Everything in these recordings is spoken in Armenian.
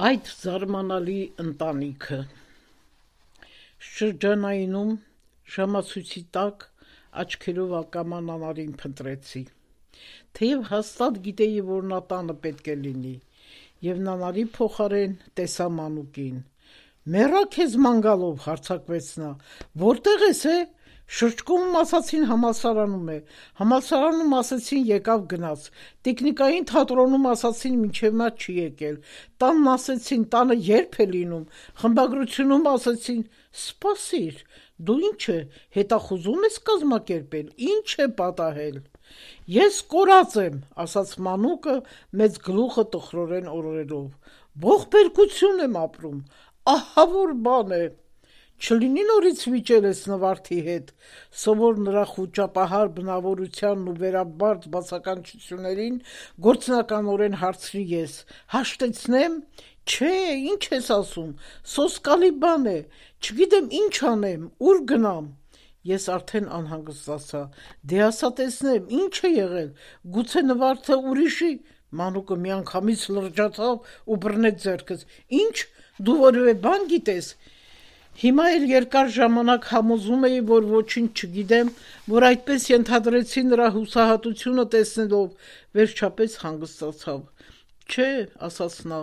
Այդ զարմանալի ընտանիքը շրջանայնում ժամացույցի տակ աչքերով ակաման անարին փնտրեցի, թեև հաստատ գիտեի, որ նա տանը պետք է լինի, և նանարի փոխարեն տեսա Մանուկին: «Մեռա քեզ ման գալով», հարձակվեց նա, «որտեղ ես, Շրջկոմում ասացին համալսարանում է, համալսարանում ասեցին եկավ գնաց, տիկնիկային թատրոնում ասացին մինչև նա չի եկել, տանն ասեցին տանը երբ է լինում, խմբագրությունում ասեցին, սպասիր, դու ինչ է, հետախուզում ես կազմակերպել, ինչ է պատահել»: «Ես կորած եմ», ասաց Մանուկը մեծ գլուխը տխրորեն օրորելով, «ողբերգություն եմ ապրում, ահա որ բան է»: «Չլինի նորից վիճել ես Նվարդի հետ», սովոր նրա խուճապահար բնավորությանն ու վերաբարդ բացականչություններին գործնականորեն հարցրի ես, «հաշտեցնե՞մ»: «Չէ, ինչ ես ասում, սոսկալի բան է, չգիտեմ ինչ անեմ, ուր գնամ»: Ես արդեն անհանգստացա, «Դե ասա տեսնեմ, ինչ է եղել, գուցե Նվարդը ուրիշի»: Մանուկը միանգամից լրջացավ ու բռնեց ձեռքս, «Ինչ, դու որևէ բան գիտես»: Հիմա էլ երկար ժամանակ համոզում էի, որ ոչինչ չգիտեմ, որ այդպես ենթադրեցի նրա հուսահատությունը տեսնելով, վերջապես հանգստացավ: «Չէ», ասաց նա,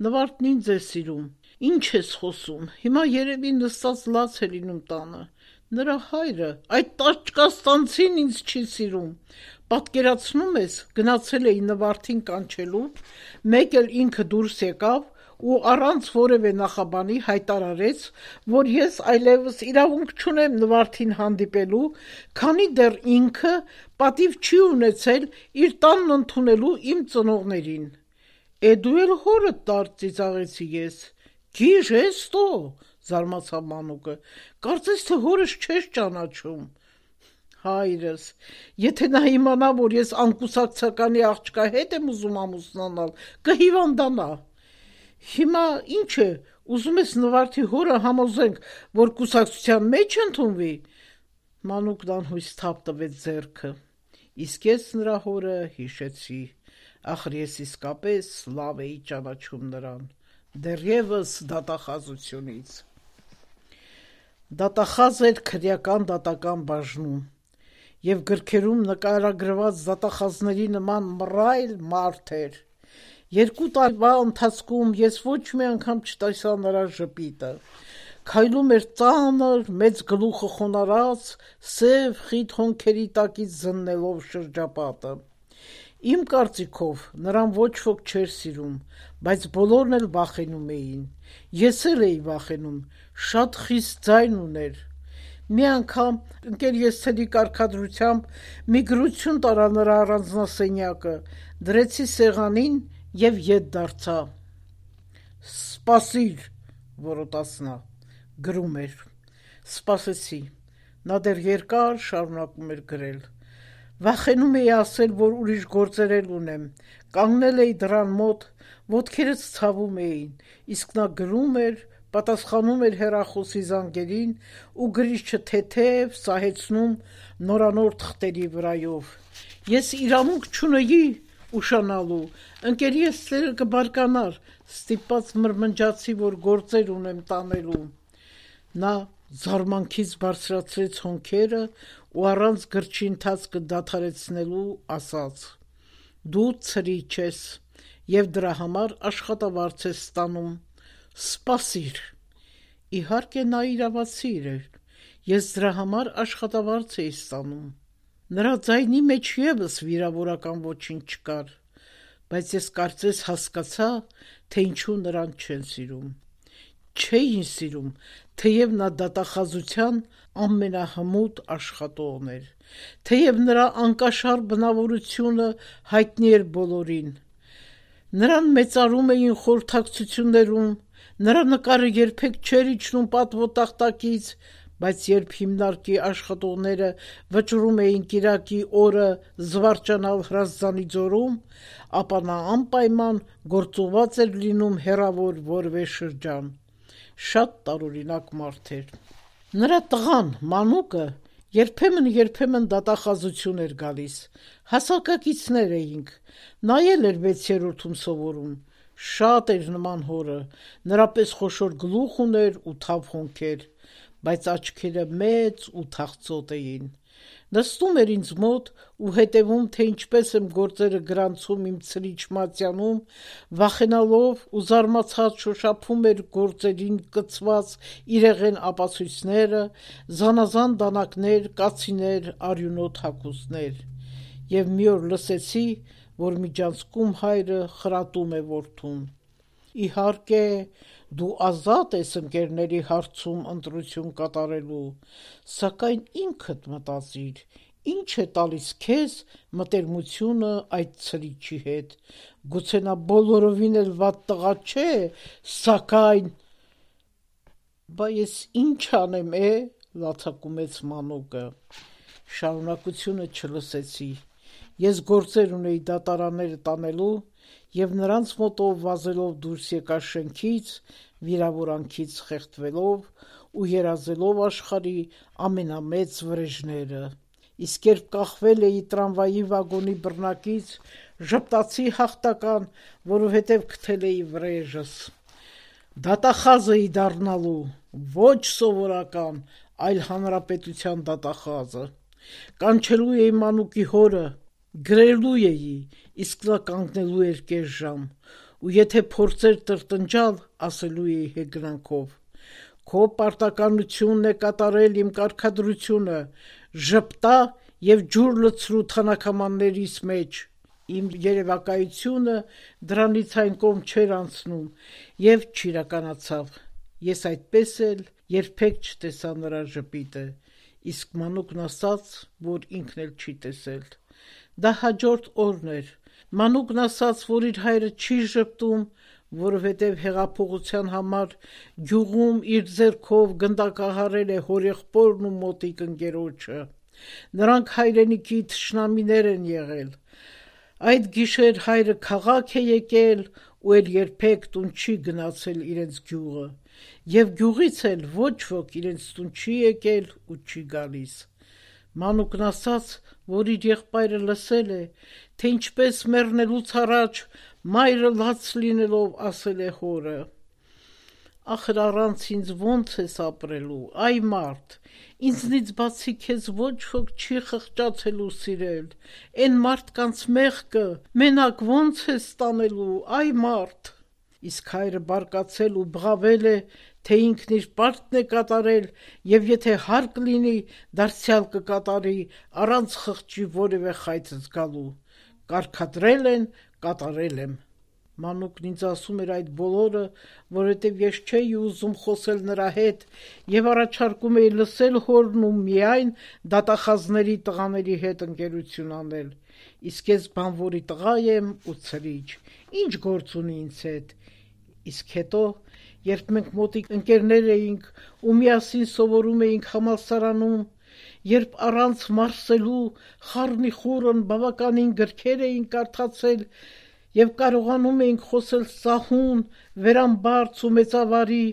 «Նվարդն ինձ է սիրում»: «Ինչ ես խոսում, հիմա երևի նստած լաց է լինում տանը, նրա հայրը, այդ տաճկաստանցին ինձ չի սիրում: Պատկերացնու՞մ ես, գնացել էի Նվարդին կանչելու, մեկ էլ ինքը դուրս եկավ ու առանց որևէ նախաբանի հայտարարեց, որ ես այլևս իրավունք չունեմ Նվարդին հանդիպելու, քանի դեռ ինքը պատիվ չի ունեցել իր տանն ընդունելու իմ ծնողներին: Դու էլ հորդ տար, ծիծաղեցի ես: «Գիժես-տո», զարմացավ Մանուկը, «կարծես թե հորս չես ճանաչում»: Հայրս, եթե նա իմանա, որ ես անկուսակցականի աղջկա հետ եմ ուզում ամուսնանալ, կհիվանդանա: Հիմա ինչ է, ուզում ես Նվարդի հորը համոզենք, որ կուսակցության մեջ ընդունվի: Մանուկն անհույս թափ տվեց ձեռքը: Իսկ ես նրա հորը հիշեցի, ախր ես իսկապես լավ էի ճանաչում նրան, դեռևս դատախազությունից: Դատախազ էր քրեական դատական բաժնում, և գրքերում նկարագրված դատախազների նման մռայլ մարդ էր: 2 տարվա ընթացքում ես ոչ մի անգամ չտեսա նրա ժպիտը: Քայլում էր ծանր, մեծ գլուխը խոնարհած, սև խիտ հոնքերի տակից զննելով շրջապատը: Իմ կարծիքով, նրան ոչ ոք չէր սիրում, բայց բոլորն էլ վախենում էին: Ես էլ էի վախենում, շատ խիստ ձայն ուներ: Մի անգամ ընկեր-ես-ցելի կարգադրությամբ մի գրություն տարա նրա առանձնասենյակը, դրեցի սեղանին և ետ դարձա: «Սպասիր», որոտաց նա: Գրում էր: Սպասեցի: Նա դեռ երկար շարունակում էր գրել: Վախենում էի ասել, որ ուրիշ գործեր էլ ունեմ, կանգնել էի դռան մոտ, ոտքերս ցավում էին, իսկ նա գրում էր, պատասխանում էր հեռախոսի զանգերին ու գրիչը թեթև սահեցնում նորանոր թղթերի վրայով: Ես իրավունք չունեի ուշանալու, ընկեր-ես-ցելը կբարկանար, ստիպված մրմնջացի, որ գործեր ունեմ տանելու: Նա զարմանքից բարձրացրեց հոնքերը ու առանց գրչի ընթացքը դադարեցնելու ասաց, «Դու ցրիչ ես և դրա համար աշխատավարձ ես ստանում, սպասիր»: Իհարկե նա իրավացի էր, ես դրա համար աշխատավարձ էի ստանում: Նրա ձայնի մեջ ևս վիրավորական ոչինչ չկար, բայց ես կարծես հասկացա, թե ինչու նրան չեն սիրում: Չէին սիրում, թեև նա դատախազության ամենահմուտ աշխատողն էր, թեև նրա անկաշառ բնավորությունը հայտնի էր բոլորին: Նրան մեծարում էին խորհրդակցություններում, նրա նկարը երբեք չէր իջնում պատվոտախտակից, բայց երբ հիմնարկի աշխատողները վճռում էին կիրակի օրը զվարճանալ Հրազդանի ձորում, ապա նա անպայման գործուղված էր լինում հեռավոր որևէ շրջան: Շատ տարօրինակ մարդ էր: Նրա տղան՝ Մանուկը, երբեմն դատախազություն էր գալիս: Հասակակիցներ էինք, նա էլ էր 6-րդում սովորում: Շատ էր նման հորը, նրա պես խոշոր գլուխ ուներ ու թավ հոնքեր, բայց աչքերը մեծ ու թախծոտ էին։ Նստում էր ինձ մոտ ու հետևում, թե ինչպես եմ գործերը գրանցում իմ ցրիչ մատյանում, վախենալով ու զարմացած շոշափում էր գործերին կցված իրեղեն ապացույցները, զանազան դանակներ, կացիներ, արյունոտ հագուստներ։ Եվ մի օր լսեցի, որ միջանցքում հայրը խրատում է որդուն. «Իհարկե, դու ազատ ես ընկերների հարցում ընտրություն կատարելու, սակայն ինքդ մտածիր, ինչ է տալիս քեզ մտերմությունը այդ ցրիչի հետ, գուցե նա բոլորովին էլ վատ տղա չէ, սակայն...» «Բա ես ինչ անեմ, լացակումեց Մանուկը։ Շարունակությունը չլսեցի։ Ես գործեր ունեի դատարանները տանելու և նրանց մոտով վազելով դուրս եկա շենքից, վիրավորանքից խեղդվելով ու երազելով աշխարհի ամենամեծ վրեժները։ Իսկ երբ կախվել էի տրամվայի վագոնի բռնակից, ժպտացի հաղթական, որովհետև գտել էի վրեժս։ Դատախազ էի դառնալու, ոչ սովորական, այլ հանրապետության դատախազը։ Կանչելու էի Մանուկի հորը, գրելու էի, իսկ նա կանգնելու էր կես ժամ, ու եթե փորձեր տրտնջալ, ասելու էի հեգնանքով. «Քո պարտականությունն է կատարել իմ կարգադրությունը, ժպտա և ջուր լցրու թանաքամաններիս մեջ»։ Իմ երևակայությունը դրանից այն կողմ չէր անցնում և չիրականացավ։ Ես այդպես էլ երբեք չտեսա նրա ժպիտը, իսկ Մանուկն ասաց, որ ինքն էլ չի տեսել։ Դա հաջորդ օրն էր։ Մանուկն ասաց, որ իր հայրը չի ժպտում, որովհետև հեղափոխության համար գյուղում իր ձեռքով գնդակահարել է հորեղբորն ու մոտիկ ընկերոջը։ Նրանք հայրենիքի թշնամիներ են եղել։ Այդ գիշեր հայրը քաղաք է եկել ու էլ երբեք տուն չի գնացել իրենց գյուղը, և գյուղից էլ ոչ ոք իրենց տուն չի եկել ու չի գալիս։ Մանուկն ասաց, որ իր եղբայրը լսել է, թե ինչպես մեռնելուց առաջ մայրը լաց լինելով ասել է հորը. «Ախր առանց ինձ ոնց ես ապրելու, այ մարդ, ինձնից բացի քեզ ոչ ոք չի խղճացել ու սիրել, էն մարդկանց մեղքը մենակ ոնց ես տանելու, այ մարդ»։ Իսկ հայրը բարկացել ու բղավել է, թե ինքն իր պարտքն է կատարել և եթե հարկ լինի, դարձյալ կկատարի, առանց խղճի որևէ խայծ զգալու։ Կարգադրել են, կատարել եմ։ Մանուկն ինձ ասում էր այդ բոլորը, որովհետև ես չէի ուզում խոսել նրա հետ և առաջարկում էի լսել հորն ու միայն դատախազների տղաների հետ ընկերություն անել։ Իսկ ես բանվորի տղա եմ ու ցրիչ, ինչ գործ ունի ինձ հետ։ Իսկ հետո, երբ մենք մոտիկ ընկերներ էինք ու միասին սովորում էինք համալսարանում, երբ առանց մարսելու խառնիխուռն բավականին գրքեր էինք կարդացել և կարողանում էինք խոսել սահուն, վերամբարձ ու մեծավարի,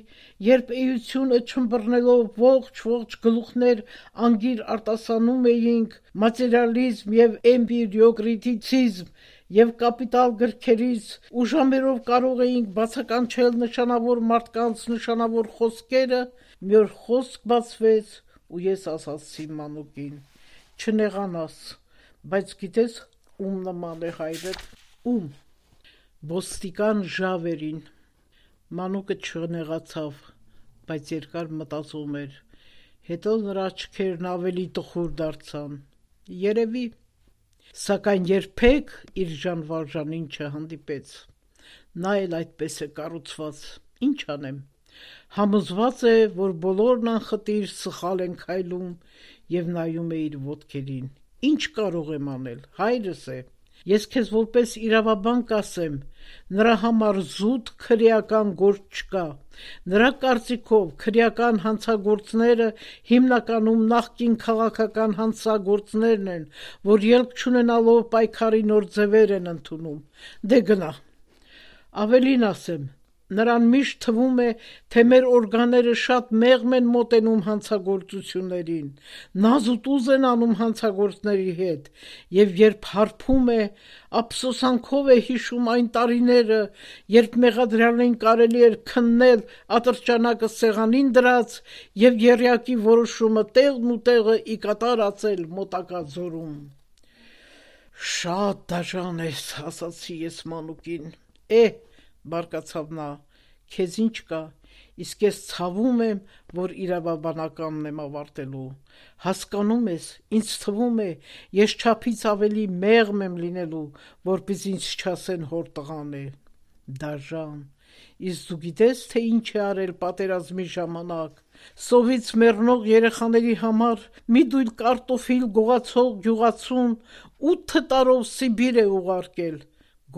երբ էությունը չըմբռնելով ողջ գլուխներ անգիր արտասանում էինք մատերիալիզմ և էմպիրիոկրիտիցիզմ և կապիտալ գրքերից ու ժամերով կարող էինք բացականչել նշանավոր մարդկանց նշանավոր խոսքերը, մի օր խոսք բացվեց ու ես ասացի Մանուկին. «Չնեղանաս, բայց գիտես ում նման է հայրդ»։ Ում։ Ոստիկան Ժավերին։ Մանուկը չնեղացավ, բայց երկար մտածում էր, հետո նրա աչքերն ավելի տխուր դարձան։ Երևի։ Սակայն երբեք իր ժանվարժանին չհանդիպեց։ Նա էլ այդպես է կառուցված, ինչ անեմ։ Համոզված է, որ բոլորն անխտիր սխալ են քայլում և նայում է իր ոտքերին։ Ինչ կարող եմ անել, հայրս է։ Ես քեզ որպես իրավաբան կասեմ, նրա համար զուտ քրեական գործ չկա։ Նրա կարծիքով քրեական հանցագործները հիմնականում նախկին քաղաքական հանցագործներն են, որ ելք չունենալով պայքարի նոր ձևեր են ընդունում։ Դե գնա։ Ավելին ասեմ, Նրան միշտ թվում է, թե մեր օրգանները շատ մեղմ են մոտենում հանցագործություններին, նազուտուզ են անում հանցագործների հետ, եւ երբ հարբում է, ափսոսանքով է հիշում այն տարիները, երբ մեղադրյալին կարելի էր քննել ատրճանակը սեղանին դրած եւ եռյակի որոշումը տեղն ու տեղը ի կատար ածել մոտակա ձորում։ Շատ դաժան ես, ասացի ես մանուկին։ Բարկացավ նա, քեզ ինչ կա, իսկ ես ցավում եմ, որ իրավաբանականն եմ ավարտելու։ Հասկանում ես, ինձ թվում է, ես չափից ավելի մեղմ եմ լինելու, որպես ինձ չասեն հոր տղան է։ Դաժան, իսկ դու գիտես, թե ինչ է արել պատերազմի ժամանակ։ Սովից մեռնող երեխաների համար մի դույլ կարտոֆիլ գողացող գյուղացուն 8 տարով Սիբիր է ուղարկել։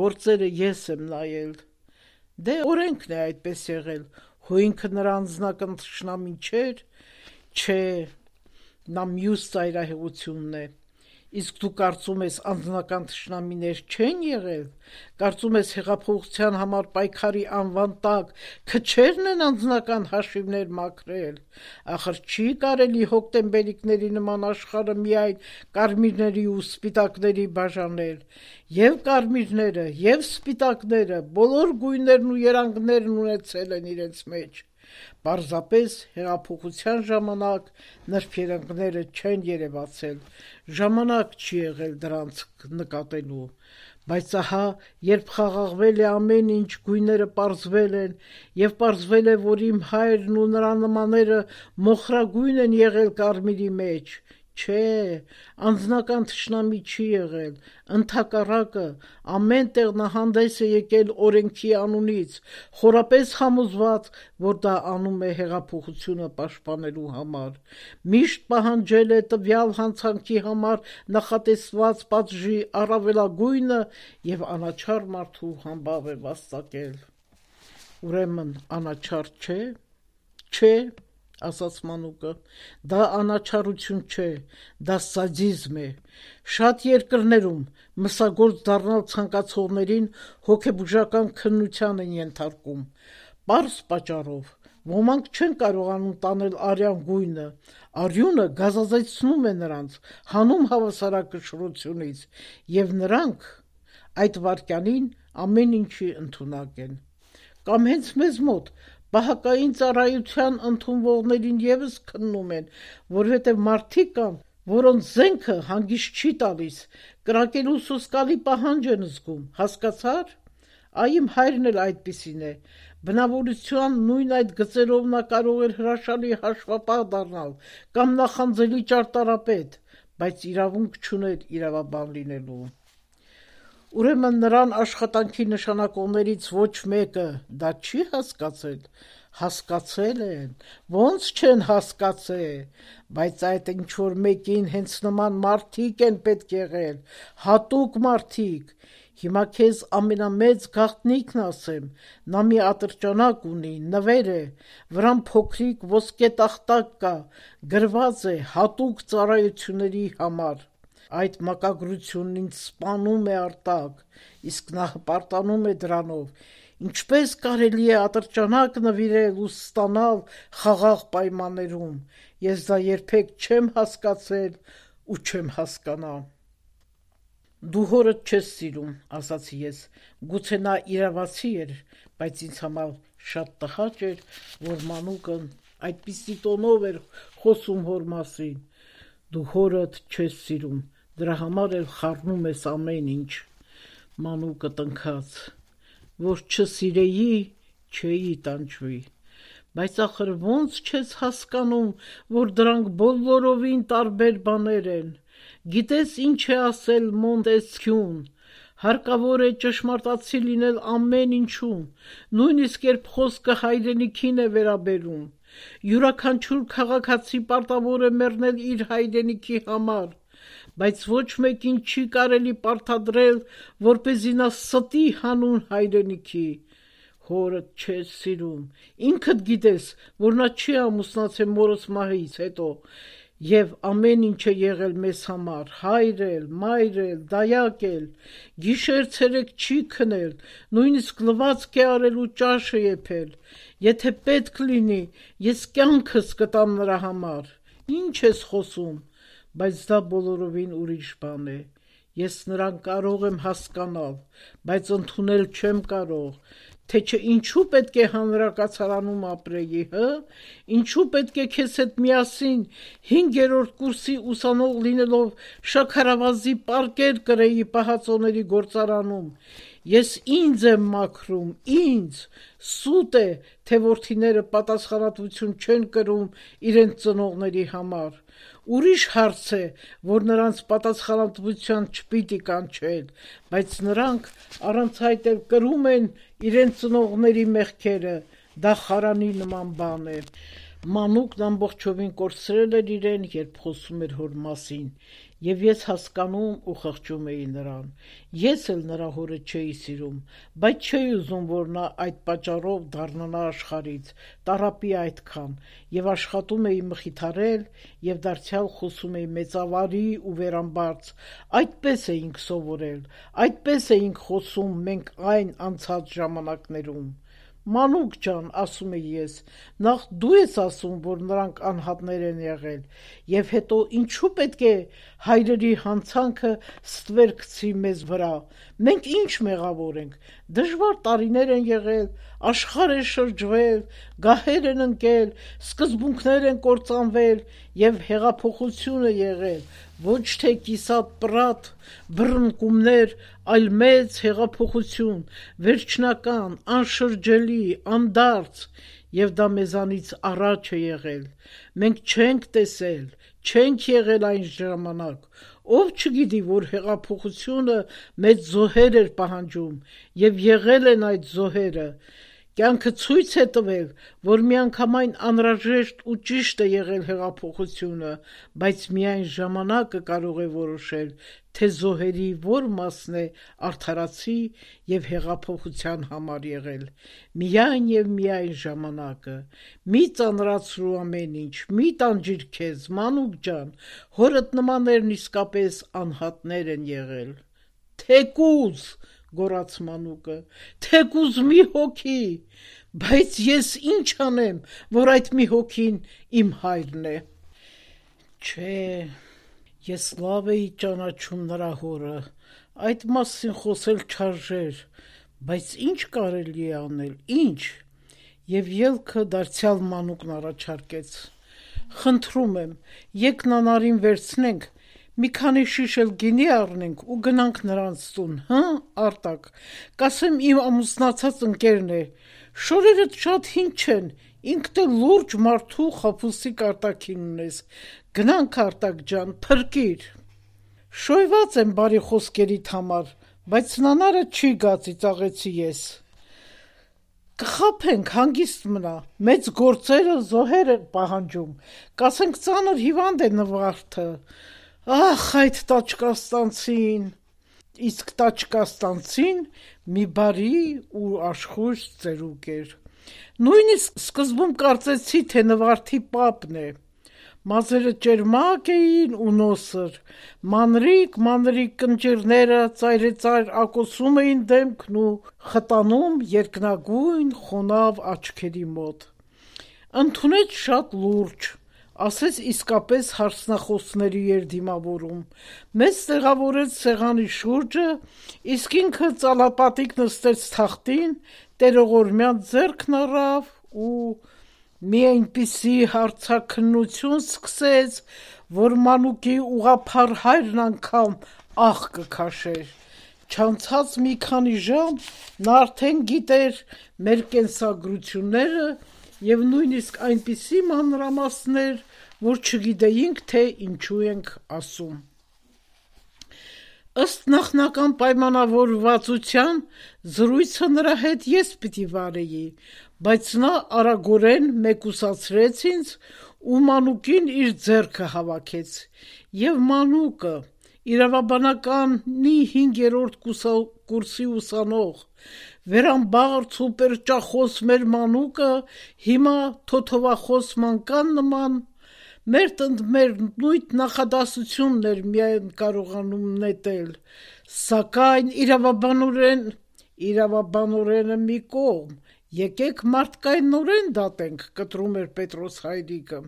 Գործերը ես եմ նայել։ Դե օրենքն է այդպես եղել, հո ինքը նրա անձնական թշնամին չէր, չէ, նա մյուս ծայրահեղությունն է, իսկ դու կարծում ես անձնական թշնամիներ չեն եղել, կարծում ես հեղափոխության համար պայքարի անվան տակ քչերն են անձնական հաշիվներ մաքրել, ախր չի կարելի հոկտեմբերիկների նման աշխարհը միայն կարմիրների ու սպիտակների բաժանել, եւ կարմիրները, եւ սպիտակները, բոլոր գույներն ու երանգներն ունեցել են իրենց մեջ, պարզապես հեղափոխության ժամանակ նրբերանգները չեն երևացել, ժամանակ չի եղել դրանց նկատելու, բայց ահա, երբ խաղաղվել է ամեն ինչ, գույները պարզվել են, եւ պարզվել է, որ իմ հայրն ու նրա նմանները մոխրագույն են եղել կարմիրի մեջ, չէ, անձնական թշնամի չի եղել, ընդհակառակը, ամեն տեղ նա հանդես է եկել օրենքի անունից, խորապես համոզված, որ դա անում է հեղափոխությունը պաշտպանելու համար, միշտ պահանջել է տվյալ հանցանքի համար նախատեսված պատժի առավելագույնը եւ անաչառ մարդու համբավ է վաստակել։ Ուրեմն անաչառ չէ, չէ, ասաց մանուկը, դա անաչառություն չէ, դա սադիզմ է, շատ երկրներում մսագործ դառնալ ցանկացողներին հոգեբուժական քննության են ենթարկում, պարզ պատճառով, ոմանք չեն կարողանում տանել արյան գույնը, արյունը գազազեցնում է նրանց, հանում հավասարակշռությունից, եւ նրանք այդ վայրկյանին ամեն ինչի ընդունակ են, կամ հենց մեզ մոտ բահակային ծառայության ընդունվողներին եւս քննում են, որովհետեւ մարդիկ կան, որոնց զենքը հանգիստ չի տալիս, կրակելու սոսկալի պահանջ են զգում, հասկացար։ Իմ հայրն էլ այդպիսին է, բնավորության նույն այդ գծերով նա կարող էր հրաշալի հաշվապահ դառնալ կամ նախանձելի ճարտարապետ, բայց իրավունք չուներ իրավաբան լինելու։ Ուրեմն նրան աշխատանքի նշանակողներից ոչ մեկը դա չի հասկացել, հասկացել են, ոնց չեն հասկացել, բայց այդ ինչ-որ մեկին հենց նման մարդիկ են պետք եղել, հատուկ մարդիկ, հիմա քեզ ամենամեծ գաղտնիքն ասեմ, նա մի ատրճանակ ունի, նվեր է, վրան փոքրիկ ոսկե տախտակ կա, գրված է հատուկ ծառայությունների համար, այդ մակագրությունն ինձ սպանում է արտակ, իսկ նա հպարտանում է դրանով, ինչպես կարելի է ատրճանակ նվիրել ու ստանալ խաղաղ պայմաններում, ես դա երբեք չեմ հասկացել ու չեմ հասկանա։ Դու հորդ չես սիրում, ասացի ես, գուցե նա իրավացի էր, բայց ինձ համար շատ տհաճ էր, որ մանուկն այդպիսի տոնով էր խոսում հոր մասին։ Դու հորդ չես սիրում, դրա համար էլ խառնում ես ամեն ինչ։ Մանուկը տնքաց, որ չսիրեի, չէի տանջվի, բայց ախր ոնց չես հասկանում, որ դրանք բոլորովին տարբեր բաներ են, գիտես ինչ է ասել Մոնտեսքյուն, հարկավոր է ճշմարտացի լինել ամեն ինչում, նույնիսկ երբ խոսքը հայրենիքին է վերաբերում, յուրաքանչյուր քաղաքացի պարտավոր է մեռնել իր հայրենիքի համար, բայց ոչ մեկին չի կարելի պարտադրել, որպեսզի նա ստի հանուն հայրենիքի, հորդ չես սիրում, ինքդ գիտես, որ նա չի ամուսնացել մորս մահից հետո, Եվ ամեն ինչ է եղել մեզ համար, հայր էլ, մայր էլ, դայակ էլ, գիշեր-ցերեկ չի քնել, նույնիսկ լվացք է արել ու ճաշը եփել, եթե պետք լինի, ես կյանքս կտամ նրա համար, ինչ ես խոսում, բայց դա բոլորովին ուրիշ բան է, ես նրան կարող եմ հասկանալ, բայց ընդունել չեմ կարող, թե չէ ինչու պետք է հանրակացարանում ապրեի, ինչու պետք է քեզ հետ միասին 5-րդ կուրսի ուսանող լինելով շաքարավազի պարկեր կրեի պահածոների գործարանում, ես ինձ եմ մաքրում, ինձ, սուտ է, թե որդիները պատասխանատվություն չեն կրում իրենց ծնողների համար, ուրիշ հարց է, որ նրանց պատասխանատվության չպիտի կանչել, բայց նրանք առանց այդ էլ կրում են իրենց ծնողների մեղքերը, դա խարանի նման բան է։ Մանուկն ամբողջովին կորցրել էր իրեն, երբ խոսում էր հոր մասին, եւ ես հասկանում ու խղճում էի նրան։ Ես էլ նրա հորը չէի սիրում, բայց չէի ուզում, որ նա այդ պատճառով դառնա աշխարհից, տառապի այդքան, եւ աշխատում էի մխիթարել եւ դարձյալ խոսում էի մեծավարի ու վերամբարձ։ Այդպես էինք սովորել, այդպես էինք խոսում մենք այն անցած ժամանակներում։ Մանուկ ջան, ասում էի ես, նախ դու ես ասում, որ նրանք անհատներ են եղել, եւ հետո ինչու պետք է հայրերի հանցանքը ստվեր գցի մեզ վրա, մենք ինչ մեղավոր ենք, դժվար տարիներ են եղել, աշխարհ է շրջվել, գահեր են ընկել, սկզբունքներ են կործանվել եւ հեղափոխություն է եղել, ոչ թե կիսատ պրատ, բռնկումներ, այլ մեծ հեղափոխություն, վերջնական, անշրջելի, անդարձ, եւ դա մեզանից առաջ է եղել, մենք չենք տեսել, չենք եղել այն ժամանակ, ով չգիտի, որ հեղափոխությունը մեծ զոհեր էր պահանջում, եւ եղել են այդ զոհերը, կյանքը ցույց է տվել, որ միանգամայն անհրաժեշտ ու ճիշտ է եղել հեղափոխությունը, բայց միայն ժամանակը կարող է որոշել, թե զոհերի որ մասն է արդարացի եւ հեղափոխության համար եղել, միայն եւ միայն ժամանակը, մի ծանրացրու ամեն ինչ, մի տանջիր քեզ, մանուկ ջան, հորդ նմաններն իսկապես անհատներ են եղել, թեկուզ, գոռաց մանուկը, թեկուզ մի հոգի, բայց ես ինչ անեմ, որ այդ մի հոգին իմ հայրն է։ Չէ, ես լավ էի ճանաչում նրա հորը, այդ մասին խոսել չարժեր, բայց ինչ կարելի է անել, ինչ։ Եվ ելքը դարձյալ մանուկն առաջարկեց. խնդրում եմ, եկ նանարին վերցնենք, մի քանի շիշ էլ գինի առնենք ու գնանք նրանց տուն, Արտակ, կասեմ իմ ամուսնացած ընկերն է, շորերդ շատ հին չեն, ինքդ էլ լուրջ մարդու խաբուսիկ արտաքին ունես, գնանք Արտակ ջան, փրկիր։ Շոյված եմ բարի խոսքերիդ համար, բայց նանարը չի գա, ծիծաղեցի ես։ Կխաբենք, հանգիստ մնա, մեծ գործերը զոհեր են պահանջում, կասենք ծանր հիվանդ է նվարդը, ախ այդ տաճկաստանցին, իսկ տաճկաստանցին մի բարի ու աշխույժ ծերուկ էր, նույնիսկ սկզբում կարծեցի, թե նվարդի պապն է, մազերը ճերմակ էին ու նոսր, մանրիկ կնճիռները ծայրեծայր ակոսում էին դեմքն ու խտանում երկնագույն խոնավ աչքերի մոտ, ընդունեց շատ լուրջ, ասեց իսկապես հարցնախոսների էր դիմավորում, մեզ տեղավորեց սեղանի շուրջը, իսկ ինքը ծալապատիկ նստեց թախտին, տերողորմյան ձեռքն առավ ու մի այնպիսի հարցաքննություն սկսեց, որ մանուկի ուղղափառ հայրն անգամ ահ կքաշեր, չանցած մի քանի ժամ նա արդեն գիտեր մեր կենսագրությունները եւ նույնիսկ այնպիսի մանրամասներ, որ չգիտեինք, թե ինչու ենք ասում։ Ըստ նախնական պայմանավորվածության զրույցը նրա հետ ես պիտի վարեի, բայց նա արագորեն մեկուսացրեց ինձ ու մանուկին իր ձեռքը հավաքեց, եւ մանուկը, իրավաբանականի 5-րդ կուրսի ուսանող, վերամբարձ ու պերճախոս մեր մանուկը հիմա թոթովախոս մանկան նման մեր նույն նախադասությունն էր միայն կարողանում նետել, սակայն իրավաբանորենը մի կողմ, եկեք մարդկայնորեն դատենք, կտրում էր Պետրոս Հայրիկը։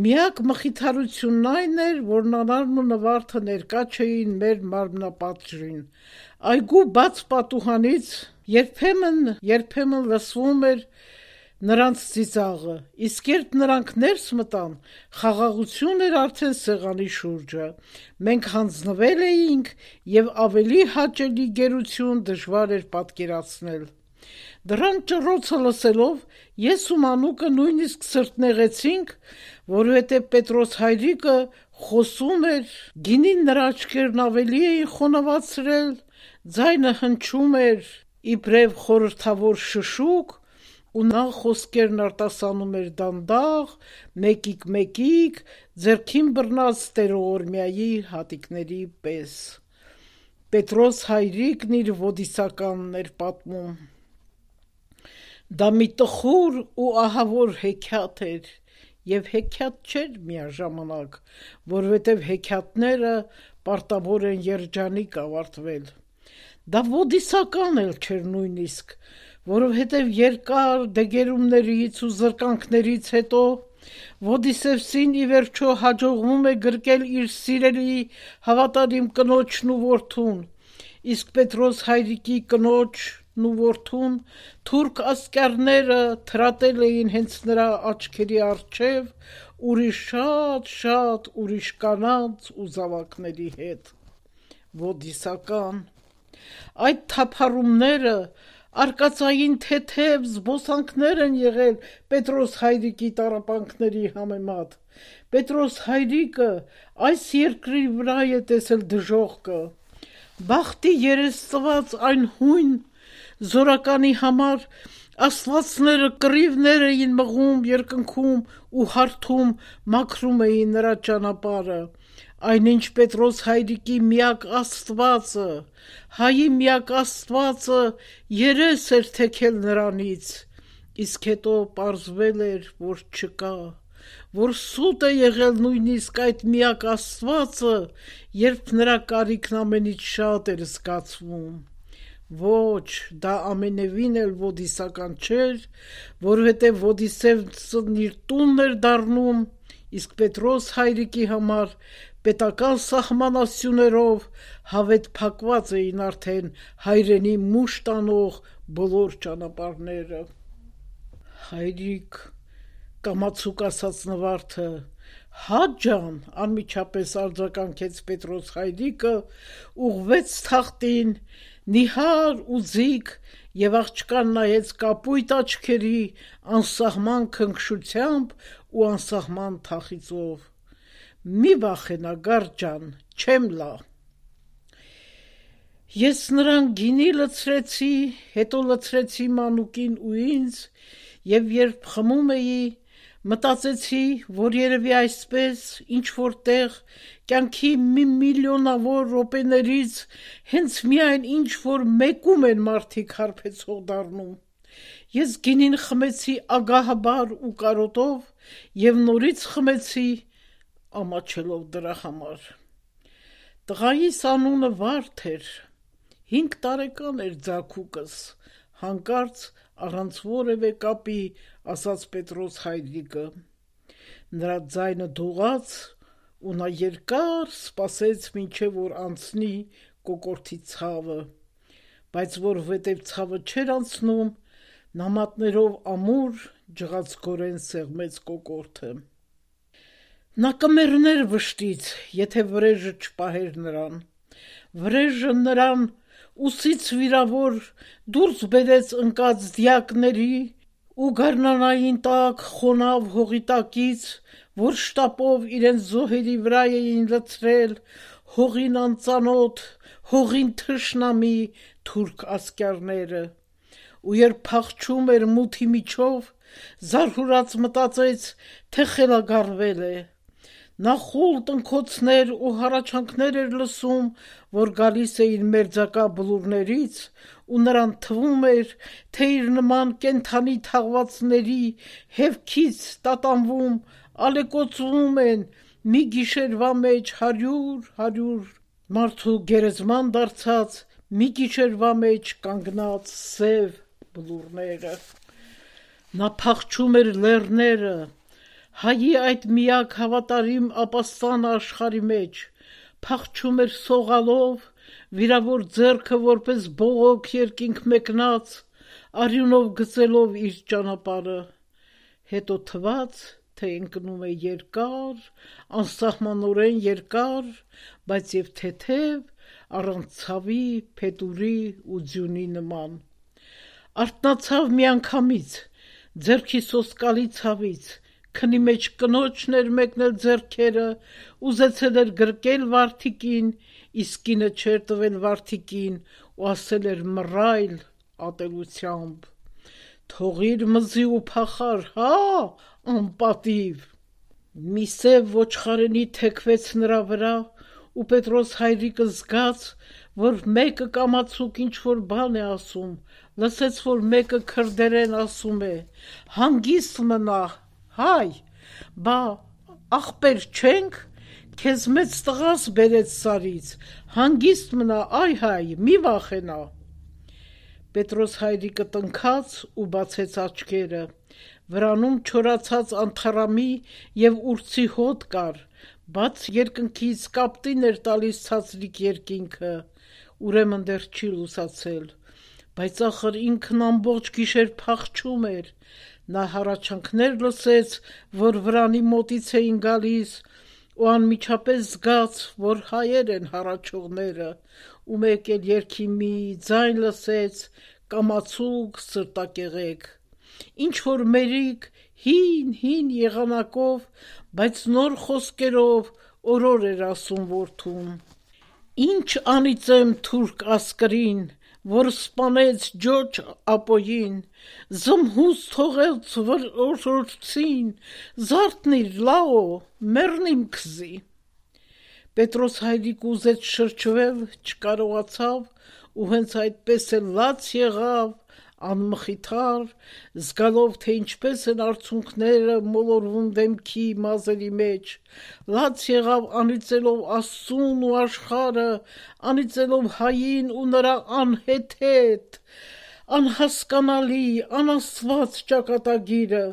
Միակ մխիթարությունն այն էր, որ Նանարն ու Նվարդը ներկա չէին մեր մարմնապատժին։ Այգու բաց պատուհանից երբեմն լսվում էր նրանց ծիծաղը, իսկ երբ նրանք ներս մտան, խաղաղություն էր արդեն սեղանի շուրջը։ Մենք հանձնվել էինք և ավելի հաճելի գերություն դժվար էր պատկերացնել։ Դրան ճռոցը լսելով ես ու Մանուկը նույնիսկ սրտնեղեցինք, որովհետև Պետրոս Հայրիկը խոսում էր, գինին նրա աչքերն ավելի էին խոնավացրել, ձայնը հնչում էր իբրև խորհրդավոր շշուկ, ու նա խոսքերն արտասանում էր դանդաղ, մեկիկ, ձեռքին բռնած տերողորմյայի հատիկների պես։ Պետրոս Հայրիկն իր ոդիսականն էր պատմում։ Դա մի տխուր ու ահավոր հեքիաթ էր, և հեքիաթ չէր միաժամանակ, որովհետև հեքիաթները պարտավոր են երջանիկ ավարտվել։ Դա ոդիսական էլ չէր նույնիսկ, որովհետև երկար դեգերումներից ու զրկանքներից հետո Ոդիսևսին ի վերջո հաջողվում է գրկել իր սիրելի հավատարիմ կնոջն ու որդուն, իսկ Պետրոս Հայրիկի կնոջն ու որդուն թուրք ասկյարները թրատել էին հենց նրա աչքերի առջև ուրիշ շատ ուրիշ կանանց ու զավակների հետ։ Ոդիսական։ Այդ թափառումները արկածային թեթև զբոսանքներ են եղել Պետրոս Հայրիկի տառապանքների համեմատ։ Պետրոս Հայրիկը այս երկրի վրա է տեսել դժոխքը։ Բախտի երես այն հույն զորականի համար աստվածները կռիվներ էին մղում, երկնքում ու հարթում, մաքրում էին նրա ճանապարհը, այնինչ Պետրոս Հայրիկի միակ Աստվածը, հայի միակ Աստվածը երես էր թեքել նրանից, իսկ հետո պարզվել էր, որ չկա, որ սուտ է եղել նույնիսկ այդ միակ Աստվածը, երբ նրա կարիքն ամենից շատ էր զգացվում։ Ոչ, դա ամենևին էլ ոդիսական չէր, որովհետև Ոդիսևսն իր տունն էր դառնում, իսկ Պետրոս Հայրիկի համար պետական սահմանասյուներով հավետ փակված էին արդեն հայրենի մուշ տանող բոլոր ճանապարհները։ Հայրիկ, կամացուկ ասաց Նվարդը, հա ջան, անմիջապես արձագանքեց Պետրոս Հայրիկը, ուղղվեց թախտին, նիհար ու ձիգ, և աղջկան նայեց կապույտ աչքերի անսահման քնքշությամբ ու անսահման թախիծով։ Մի վախենա, գարդ ջան, չեմ լա։ Ես նրան գինի լցրեցի, հետո լցրեցի Մանուկին ու ինձ, և երբ խմում էի, մտածեցի, որ երևի այսպես ինչ-որ տեղ կյանքի մի միլիոնավոր րոպեներից հենց միայն ինչ-որ մեկում են մարդիկ հարբեցող դառնում։ Ես գինին խմեցի ագահաբար ու կարոտով և նորից խմեցի, ամաչելով դրա համար։ Տղայիս անունը Վարդ էր, 5 տարեկան էր ձագուկս, հանկարծ առանց որևէ կապի ասաց Պետրոս Հայրիկը։ Նրա ձայնը դողաց ու նա երկար սպասեց մինչև որ անցնի կոկորդի ցավը, բայց որովհետև ցավը չէր անցնում, նամատներով ամուր ջղացկորեն սեղմեց կոկորդը։ Նա կմեռներ վշտից, եթե վրեժը չպահեր նրան։ Վրեժը նրան ուսից վիրավոր դուրս բերեց ընկած դիակների ու գարնանային տակ խոնավ հողի տակից, որ շտապով իրենց զոհերի վրա էին լցրել հողին անծանոթ, հողին թշնամի թուրք ասկյարները, ու երբ փախչում էր մութի միջով, զարհուրած մտածեց, թե խելագարվել է։ Նա խուլ տնքոցներ ու հառաչանքներ էր լսում, որ գալիս էին մերձակա բլուրներից, ու նրան թվում էր, թե իր նման կենդանի թաղվածների հևքից տատանվում ալեկոծվում են մի գիշերվա մեջ 100 մարդու գերեզման դարձած, մի գիշերվա մեջ կանգնած սև բլուրները։ Նա փախչում էր լեռները, հայի այդ միակ հավատարիմ ապաստանը աշխարի մեջ, փախչում էր սողալով, վիրավոր ձեռքը որպես բողոք երկինք մեկնած, արյունով գծելով իր ճանապարհը, հետո թվաց, թե ընկնում է երկար, անսահմանորեն երկար, բայց եւ թեթև, առանց ցավի, փետուրի ու ձյունի նման։ Արթնացավ միանգամից, ձեռքի սոսկալի ցավից, քնի մեջ կնոջն էր մեկնել ձեռքերը, ուզեցել էր գրկել Վարդիկին, իսկ կինը չէր տվել Վարդիկին ու ասել էր մռայլ ատելությամբ. «Թողիր մզի ու փախար, հա, անպատիվ»։ Մի սև ոչխարենի թեքվեց նրա վրա, ու Պետրոս հայրիկը զգաց, որ մեկը կամացուկ ինչ-որ բան է ասում, լսեց, որ մեկը քրդերեն ասում է. «Հանգիստ մնա, հայ, բա ախպեր չենք, քեզ մեծ տղաս բերեց Սարից, հանգիստ մնա, այ հայ, մի վախենա»։ Պետրոս հայրիկը տնքաց ու բացեց աչքերը, վրանում չորացած անթառամի և ուրցի հոտ կար, բաց երկնքից կապտին էր տալիս ցածրիկ երկինքը, ուրեմն դեռ չի լուսացել, բայց ախր ինքն ամբողջ գիշեր փախչում էր, նա հառաչանքներ լսեց, որ վրանի մոտից էին գալիս, ու անմիջապես զգաց, որ հայեր են հառաչողները, ու մեկ էլ երգի մի ձայն լսեց, կամացուկ, սրտակեղեկ, ինչ-որ մերիկ, հին եղանակով, բայց նոր խոսքերով օրոր էր ասում որդուն. «Ինչ անիծեմ թուրք ասկրին, որ սպանեց Ջորջը Ապոյին, զմհուս թողեց որորդցին, զարթնիր, լաո, մեռնիմ քզի»։ Պետրոս հայրիկը ուզեց շրջվել, չկարողացավ, ու հենց այդպես էլ լաց եղավ, անմխիթար, զգալով, թե ինչպես են արցունքները մոլորվում դեմքի մազերի մեջ, լաց եղավ անիծելով Աստծուն ու աշխարհը, անիծելով հային ու նրա անհեթեթ, անհասկանալի, անաստված ճակատագիրը,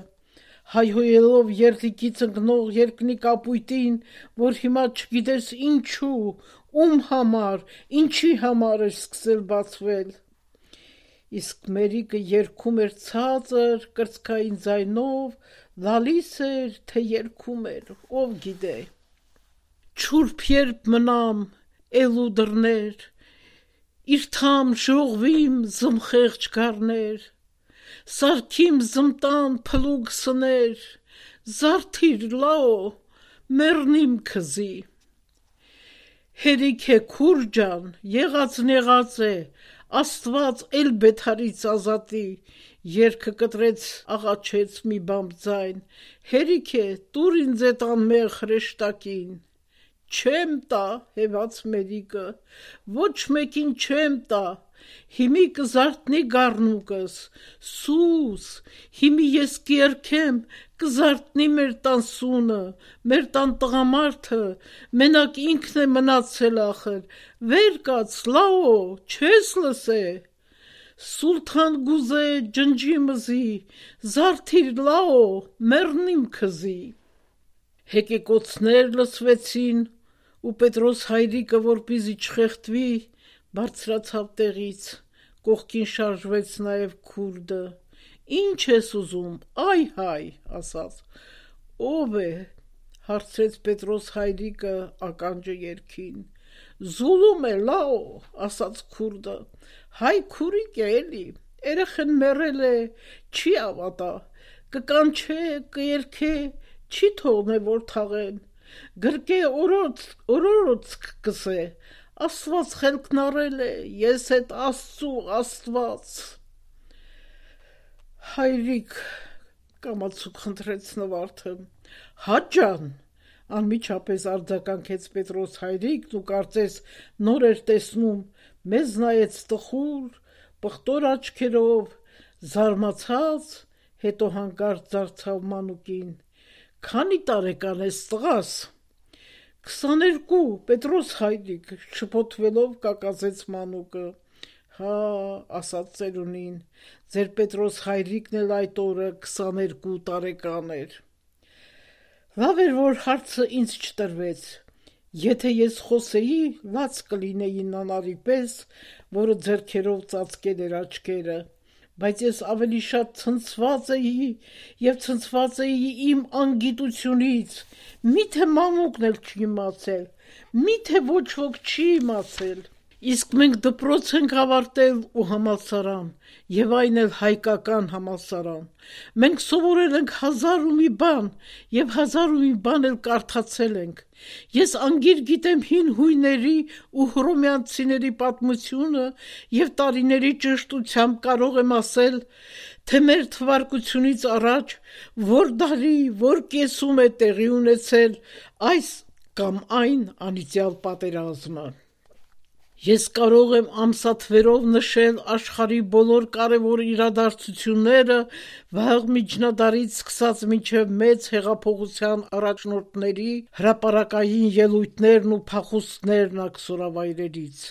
հայհոյելով երդիկից ընկնող երկնի կապույտին, որ հիմա չգիտես ինչու, ում համար, ինչի համար էր սկսել բացվել։ Իսկ մերիկը երգում էր ցածր, կրծքային ձայնով, լալիս էր, թե երգում էր, ով գիտե։ Չուրբ երբ մնամ, էլու դռներ, իր թամ ժողվիմ զմխեղճ գառներ, սարքիմ զմտան փլուգ սներ, զարթիր, լաո, մեռնիմ քզի։ Հերիք է քուր ջան, եղածն եղած է, Աստված էլ բեթարից ազատի, երգը կտրեց աղաչեց մի բամբ ձայն, հերիք է, տուր ինձ էդ անմեղ հրեշտակին։ Չեմ տա, հեված մերիկը, ոչ մեկին չեմ տա, հիմի կզարթնի գառնուկս, սուս, հիմի ես կերքեմ, կզարթնի մեր տան սունը, մեր տան տղամարդը, մենակ ինքն է մնացել ախր, վեր կաց, լաո, չես լսե։ Սուլթան գուզե ջնջի մզի, զարթիր, լաո, մեռնիմ քզի։ Հեկեկոցներ լսվեցին, ու Պետրոս հայրիկը, որպեսզի չխեղդվի, բարձրացավ տեղից, կողքին շարժվեց նաև քուրդը։ Ինչ ես ուզում, այ հայ, ասաց։ Ով է, հարցրեց Պետրոս հայրիկը ականջը երգին։ Զուլում է, լաո, ասաց քուրդը։ Հայ քուրիկ է էլի, երեխեն մեռել է, չի ավատա, կկանչե, կերքե, չի թողնե որ թաղեն, գրկե օրորոց կսե, Աստված խելքն առել է, ես էդ Աստծու Աստված։ Հայրիկ, կամացուկ խնդրեց նվարդը, հա ջան, անմիջապես արձագանքեց Պետրոս հայրիկն ու կարծես նոր էր տեսնում, մեզ նայեց տխուր, պղտոր աչքերով, զարմացած, հետո հանկարծ դարձավ մանուկին, Քանի տարեկան ես տղաս։ 22, Պետրոս հայրիկ, շփոթվելով կակազեց մանուկը։ Հա, ասաց ծերունին, ձեր Պետրոս հայրիկն էլ այդ օրը 22 տարեկան էր։ Լավ էր, որ հարցը ինձ չտրվեց։ Եթե ես խոսեի, լաց կլինեի նանարի պես, որը ձեռքերով ծածկել էր աչքերը, բայց ես ավելի շատ ցնցված էի եւ ցնցված էի իմ անգիտությունից։ Միթե մանուկն էլ չի իմացել, միթե ոչ ոք չի իմացել։ Իսկ մենք դպրոց ենք ավարտել ու համալսարան, եւ այն էլ հայկական համալսարան։ Մենք սովորել ենք 1000 ու մի բան, եւ 1000 ու մի բան էլ կարդացել ենք։ Ես անգիր գիտեմ հին հույների ու հռոմեացիների պատմությունը եւ տարիների ճշտությամբ կարող եմ ասել, թե մեր թվարկությունից առաջ որ դարի, որ կեսում է տեղի ունեցել այս կամ այն անիծյալ պատերազմը։ Ես կարող եմ ամսաթվերով նշել աշխարհի բոլոր կարևոր իրադարձությունները վաղ միջնադարից սկսած մինչև մեծ հեղափոխության առաջնորդների հրապարակային ելույթներն ու փախուստներն աքսորավայրերից։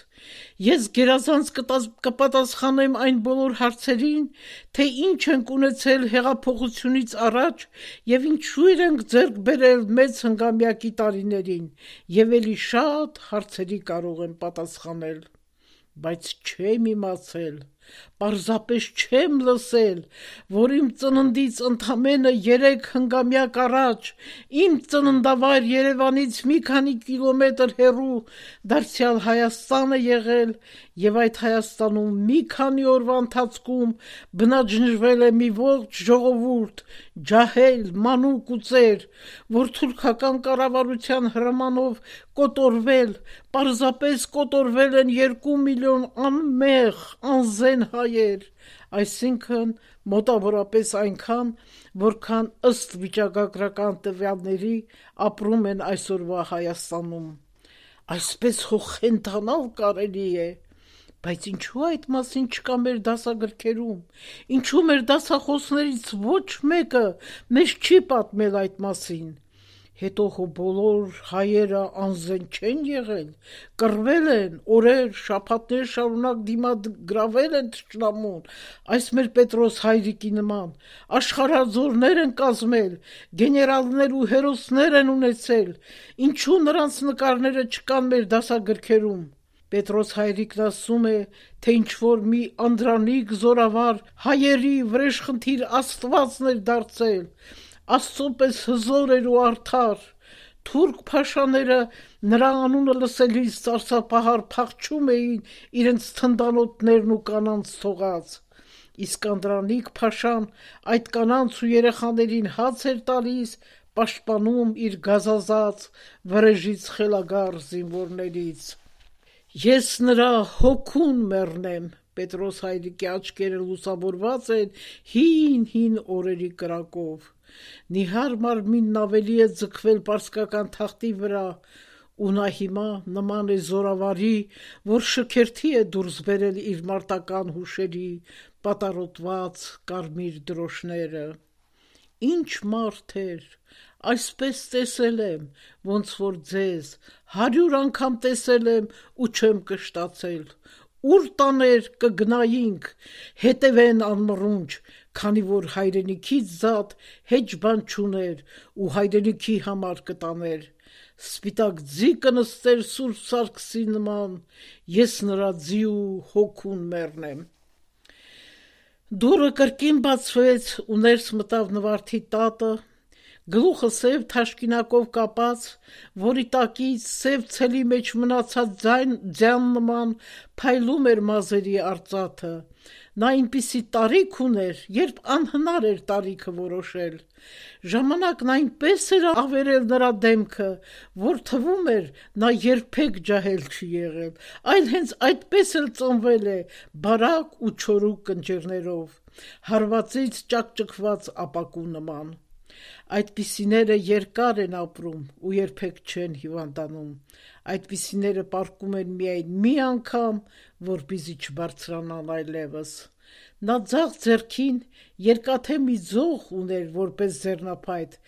Ես գերազանց կպատասխանեմ այն բոլոր հարցերին, թե ինչ ենք ունեցել հեղափոխությունից առաջ եւ ինչու ենք ձեռք բերել մեծ հնգամյակի տարիներին, եւ էլի շատ հարցերի կարող եմ պատասխանել, բայց չեմ իմացել, պարզապես չեմ լսել, որ իմ ծննդից ընդամենը 3 հնգամյակ առաջ իմ ծննդավայր Երևանից մի քանի կիլոմետր հեռու դարձյալ Հայաստան է եղել եւ այդ Հայաստանում մի քանի օրվա ընթացքում բնաջնջվել է մի ողջ ժողովուրդ, ջահել, մանուկ ու ծեր, որ թուրքական կառավարության հրամանով կոտորվել, պարզապես կոտորվել են 2 միլիոն անմեղ, անզեն հայեր, այսինքն մոտավորապես այնքան, որքան ըստ վիճակագրական տվյալների ապրում են այսօրվա Հայաստանում։ Այսպես խենթանալ կարելի է, բայց ինչու այդ մասին չկա մեր դասագրքերում, ինչու մեր դասախոսներից ոչ մեկը մեզ չի պատմել այդ մասին։ Հետո հո բոլոր հայերը անզեն չեն եղել, կռվել են, օրեր, շաբաթներ շարունակ դիմագրավել են թշնամուն, այս մեր Պետրոս հայրիկի նման, աշխարհազորներ են կազմել, գեներալներ ու հերոսներ են ունեցել, ինչու նրանց նկարները չկան մեր դասագրքերում։ Պետրոս հայրիկն ասում է, թե ինչ-որ մի անդրանիկ զորավար հայերի վրեժխնդիր աստվածն էր դարձել, Աստծո պես հզոր էր ու արդար, թուրք փաշաները նրա անունը լսելիս սարսափահար փախչում էին իրենց թնդանոթներն ու կանանց թողած, իսկ անդրանիկ փաշան այդ կանանց ու երեխաներին հաց էր տալիս, պաշտպանում իր գազազած վրեժից խելագար զինվորներից։ Ես նրա հոգուն մեռնեմ, Պետրոս հայրիկի աչքերը լուսավորված են հին օրերի կրակով։ Նիհար մարմինն ավելի է ձգվել պարսկական թախտի վրա, ու նա հիմա նման է զորավարի, որ շքերթի է դուրս բերել իր մարտական հուշերի պատառոտված կարմիր դրոշները։ Ինչ մարդ էր, այսպես տեսել եմ, ոնց որ ձեզ 100 անգամ տեսել եմ ու չեմ կշտացել, ուր տաներ կգնայինք, հետևեն անմռունչ, քանի որ հայրենիքից զատ հեչ բան չուներ ու հայրենիքի համար կտաներ, սպիտակ ձի կնստեր Սուրբ Սարգսի նման, ես նրա ձի ու հոգուն մեռնեմ։ Դուռը կրկին բացվեց ու ներս մտավ Նվարդի տատը, գլուխը սև թաշկինակով կապած, որի տակից սև ցելի մեջ մնացած ձյան նման փայլում էր մազերի արծաթը։ Նա այնպիսի տարիք ուներ, երբ անհնար էր տարիքը որոշել։ Ժամանակն այնպես էր ավերել նրա դեմքը, որ թվում էր նա երբեք ջահել չի եղել, այլ հենց այդպես էլ ծնվել է, բարակ ու չորուկ ընջերներով, հարվածից ճակճկված ապակու նման։ Այդպիսիները երկար են ապրում ու երբեք չեն հիվանդանում, այդպիսիները պառկում են միայն մի անգամ, որպեսզի չբարձրանան այլևս։ Նա ձախ ձեռքին երկաթե մի ձող ուներ որպես ձեռնափայտ,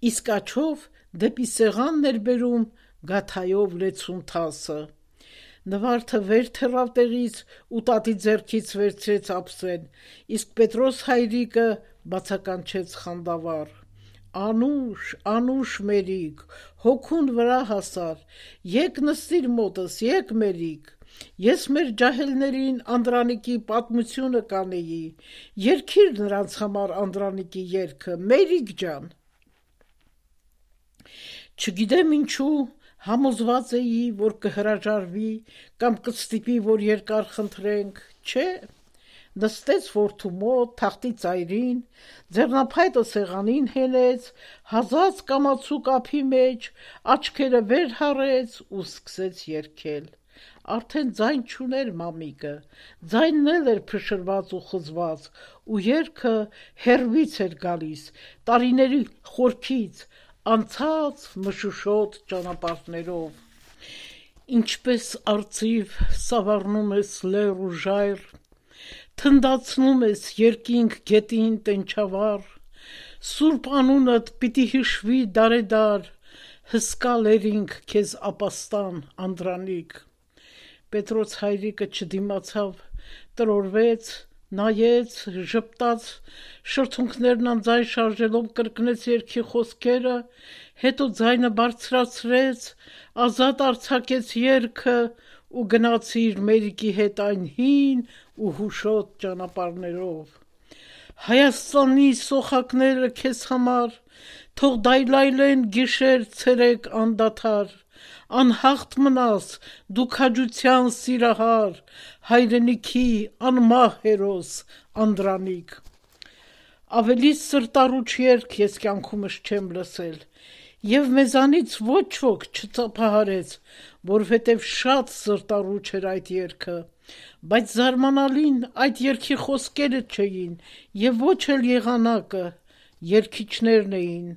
իսկ աչով դեպի սեղանն էր բերում գաթայով լեցուն թասը։ Նվարդը վեր թռավ տեղից ու տատի ձեռքից վերցրեց ափսեն, իսկ Պետրոս հայրիկը բացականչեց խանդավառ. «Անուշ, Անուշ մերիկ, հոգուն վրա հասար, եկ նստիր մոտս, եկ մերիկ, ես մեր ջահելներին Անդրանիկի պատմությունը կանեի, երգիր նրանց համար Անդրանիկի երգը, մերիկ ջան»։ Չգիտեմ ինչու համոզված էի, որ կհրաժարվի կամ կստիպի, որ երկար խնդրենք, չէ, նստեց որդու մոտ, թախտի ծայրին, ձեռնափայտը սեղանին հենեց, հազած կամացուկ ափի մեջ, աչքերը վեր հառեց ու սկսեց երգել։ Արդեն ձայն չուներ մամիկը, ձայնն էլ էր փշրված ու խզված, ու երգը հեռվից էր գալիս, տարիների խորքից, անցած մշուշոտ ճանապարհներով։ Ինչպես արծիվ սավառնում ես լեռ ու ժայռ, թնդացնում ես երկինք գետին տենչավառ, սուրբ անունդ պիտի հիշվի դարեդար, հսկա լերինք քեզ ապաստան Անդրանիկ։ Պետրոս հայրիկը չդիմացավ, տրորվեց, նայեց, ժպտաց, շրթունքներն անձայն շարժելով կրկնեց երգի խոսքերը, հետո ձայնը բարձրացրեց, ազատ արձակեց երգը ու գնացիր մերիկի հետ այն հին ու հուշոտ ճանապարհներով։ Հայաստանի սոխակները քեզ համար թող դայլայլեն գիշեր ցերեկ անդադար, անհաղթ մնաս դու քաջության սիրահար, հայրենիքի անմահ հերոս Անդրանիկ։ Ավելի սրտառուչ երգ ես կյանքումս չեմ լսել, եւ մեզանից ոչ ոք չծափահարեց, որովհետեւ շատ սրտառուչ էր այդ երգը, բայց զարմանալին այդ երգի խոսքերը չէին եւ ոչ էլ եղանակը, երգիչներն էին։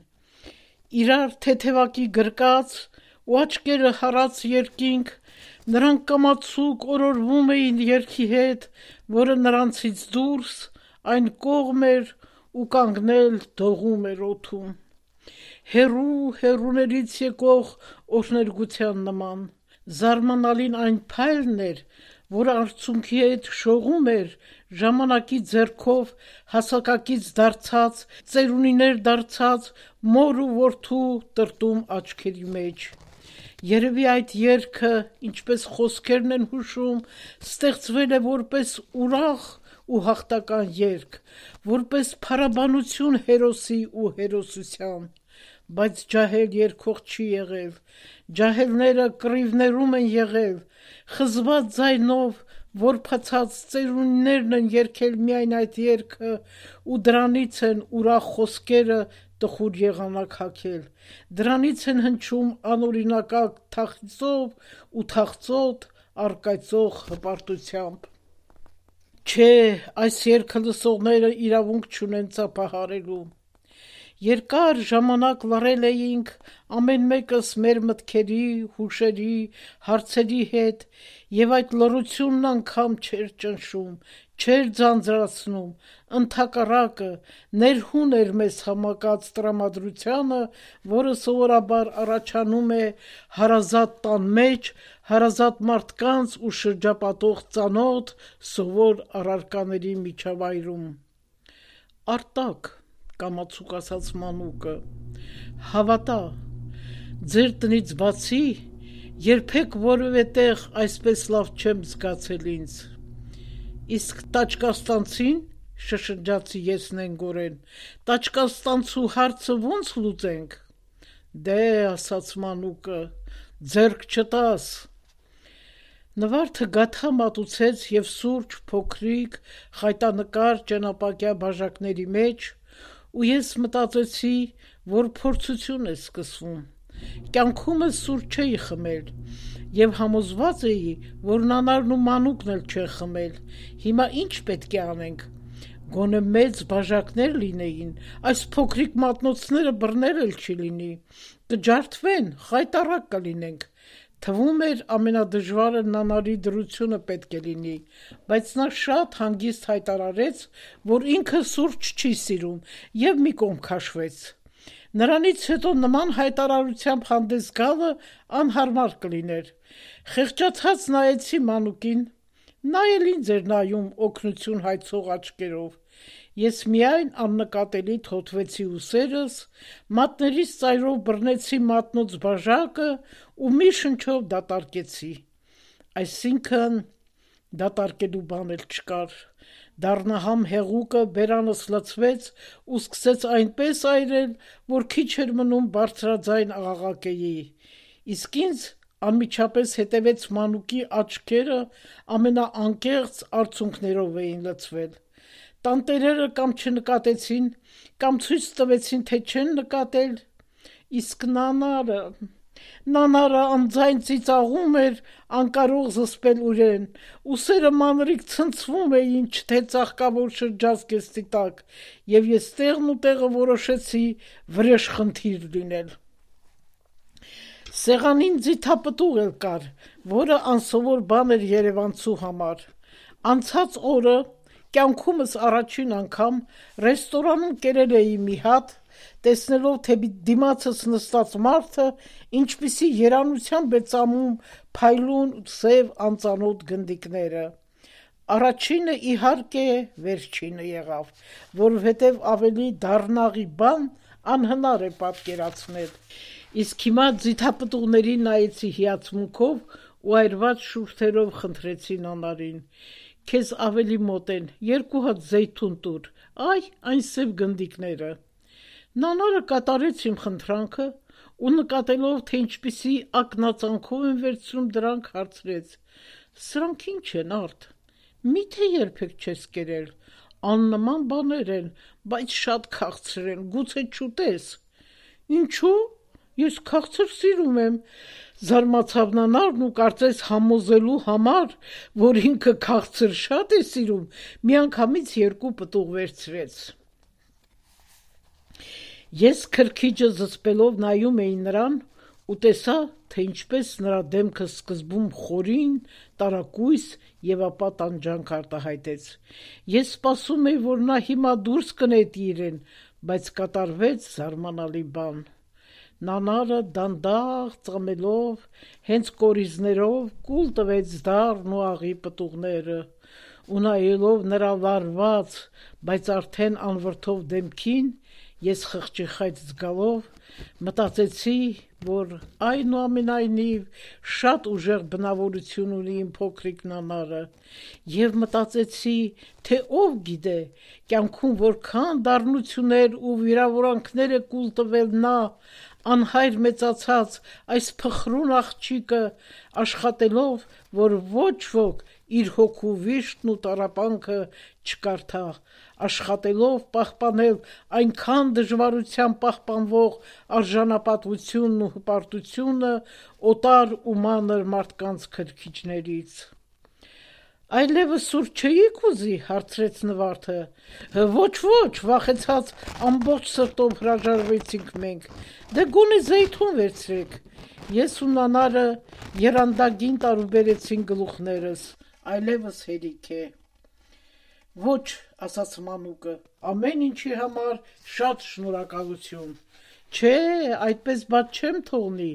Իրար թեթևակի գրկած ու աչքերը հառած երկինք, նրանք կամացուկ օրորվում էին երգի հետ, որը նրանցից դուրս այն կողմ էր ու կանգնել դողում էր օդում։ Հեռու հեռուներից եկող օրհներգության նման, զարմանալին այն փայլն էր, որ արցունքի հետ շողում էր ժամանակի ձեռքով հասակակից դարձած, ծերունիներ դարձած մոր ու որդու տրտում աչքերի մեջ։ Երևի այդ երգը, ինչպես խոսքերն են հուշում, ստեղծվել է որպես ուրախ ու հաղթական երգ, որպես փառաբանություն հերոսի ու հերոսության, բայց ջահել երգող չի եղել, ջահելները կռիվներում են եղել, խզված ձայնով որբացած ծերունիներն են երգել միայն այդ երգը ու դրանից են ուրախ խոսքերը տխուր եղանակ հագել, դրանից են հնչում անօրինակակ թախծով ու թախծոտ առկայծող հպարտությամբ։ Չէ, այս երգը լսողները իրավունք չունեն ծափահարելու։ Երկար ժամանակ լռել էինք ամեն մեկս մեր մտքերի, հուշերի, հարցերի հետ, եւ այդ լռությունն անգամ չէր ճնշում, չէր ձանձրացնում, ընդհակառակը ներհուն էր մեզ համակած տրամադրությանը, որը սովորաբար առաջանում է հարազատ տան մեջ, հարազատ մարդկանց ու շրջապատող ծանոթ, սովոր առարկաների միջավայրում։ Արտակ, կամացուկ ասաց մանուկը, հավատա, ձեր տնից բացի երբեք որևէ տեղ այսպես լավ չեմ զգացել ինձ։ Իսկ տաճկաստանցին, շշնջացի ես նենգորեն, տաճկաստանցու հարցը ոնց լուծենք։ Դե, ասաց մանուկը, ձեռք չտաս։ Նվարդը գաթա մատուցեց եւ սուրճ փոքրիկ խայտանկար ճենապակյա բաժակների մեջ, ու ես մտածեցի, որ փորձություն է սկսվում։ Կյանքումս սուրճ չէի խմել եւ համոզված էի, որ նանարն ու մանուկն էլ չեն խմել։ Հիմա ինչ պետք է անենք։ Գոնե մեծ բաժակներ լինեին, այս փոքրիկ մատնոցները բռներ էլ չի լինի, կջարդվեն, խայտառակ կլինենք։ Թվում էր ամենադժվարը նանարի դրությունը պետք է լինի, բայց նա շատ հանգիստ հայտարարեց, որ ինքը սուրճ չի սիրում եւ մի կողմ քաշվեց։ Նրանից հետո նման հայտարարությամբ հանդես գալը անհարմար կլիներ։ Խեղճացած նայեցի Մանուկին, նա էլ ինձ էր նայում օգնություն հայցող աչքերով։ Ես միայն աննկատելի թոթվեցի ուսերս, մատներիս ծայրով բռնեցի մատնոց բաժակը ու մի շնչով դատարկեցի։ Այսինքն դատարկելու բան էլ չկար։ Դառնահամ հեղուկը բերանս լցվեց ու սկսեց այնպես այրել, որ քիչ էր մնում բարձրաձայն աղաղակեի։ Իսկ ինձ անմիջապես հետևեց Մանուկի աչքերը ամենաանկեղծ արցունքներով էին լցվել։ Տանտերերը կամ չնկատեցին, կամ ցույց տվեցին, թե չեն նկատել, իսկ նանարը անձայն ծիծաղում էր, անկարող զսպել իրեն, ուսերը մանրիկ ցնցվում էին, թե ծաղկավոր շրջազգեստի տակ, եւ ես տեղն ու տեղը որոշեցի վրեժխնդիր լինել։ Սեղանին ձիթապտուղ էլ կար, որը անսովոր բան էր երևանցու համար։ Անցած օրը կյանքումս առաջին անգամ ռեստորանում կերել էի մի հատ, տեսնելով, թե դիմացս նստած մարդը ինչպիսի երանությամբ է ծամում փայլուն սև անծանոթ գնդիկները։ Առաջինը իհարկե վերջինը եղավ, որովհետև ավելի դառնաղի բան անհնար է պատկերացնել։ Իսկ հիմա ձիթապտուղներին նայեցի հիացմունքով ու այրված շուրթերով խնդրեցի նանարին. «Քեզ ավելի մոտ են, 2 հատ զեյթուն տուր, այն սև գնդիկները»։ Նանարը կատարեց իմ խնդրանքը ու նկատելով, թե ինչպիսի ակնածանքով եմ վերցնում դրանք, հարցրեց. «Սրանք ինչ են, Արդ, միթե երբեք չես կերել, աննման բաներ են, բայց շատ քաղցր են, գուցե չուտես»։ «Ինչու՞, ես քաղցր սիրում եմ», զարմացավ նանարն ու կարծես համոզելու համար, որ ինքը քաղցր շատ է սիրում, միանգամից 2 պտուղ վերցրեց։ Ես քրքիջը զսպելով նայում էի նրան ու տեսա, թե ինչպես նրա դեմքը սկզբում խորին, տարակույս եւ ապա տանջանք արտահայտեց։ Ես սպասում էի, որ նա հիմա դուրս կնետի իրեն, բայց կատարվեց զարմանալի բան։ Նանարը դանդաղ ծամելով, հենց կորիզներով կուլ տվեց դառն ու աղի պտուղները, ու նայելով նրա լարված, բայց արդեն անվրդով դեմքին, ես խղճիխայց զգալով մտածեցի, որ այնուամենայնիվ շատ ուժեղ բնավորություն ունի իմ փոքրիկ նանարը, եւ մտածեցի, թե ով գիտե, կյանքում որքան դառնություններ ու վիրավորանքներ է կուլ տվել նա, անհայր մեծացած այս փխրուն աղջիկը, աշխատելով, որ ոչ ոք իր հոգու վիշտն ու տառապանքը չկարդա, աշխատելով պահպանել այնքան դժվարությամբ պահպանվող արժանապատվությունն ու հպարտությունը օտար ու մանր մարդկանց քրքիջներից։ «Այլևս սուրճ չէի՞ք ուզի», հարցրեց Նվարդը։ «Ոչ, վախեցած ամբողջ սրտով հրաժարվեցինք մենք, դե գոնե զեյթուն վերցրեք»։ Ես ու նանարը եռանդագին տարուբերեցինք գլուխներս, այլևս հերիք է։ «Ոչ», ասաց Մանուկը, «ամեն ինչի համար շատ շնորհակալություն»։ «Չէ, այդպես բաց չեմ թողնի,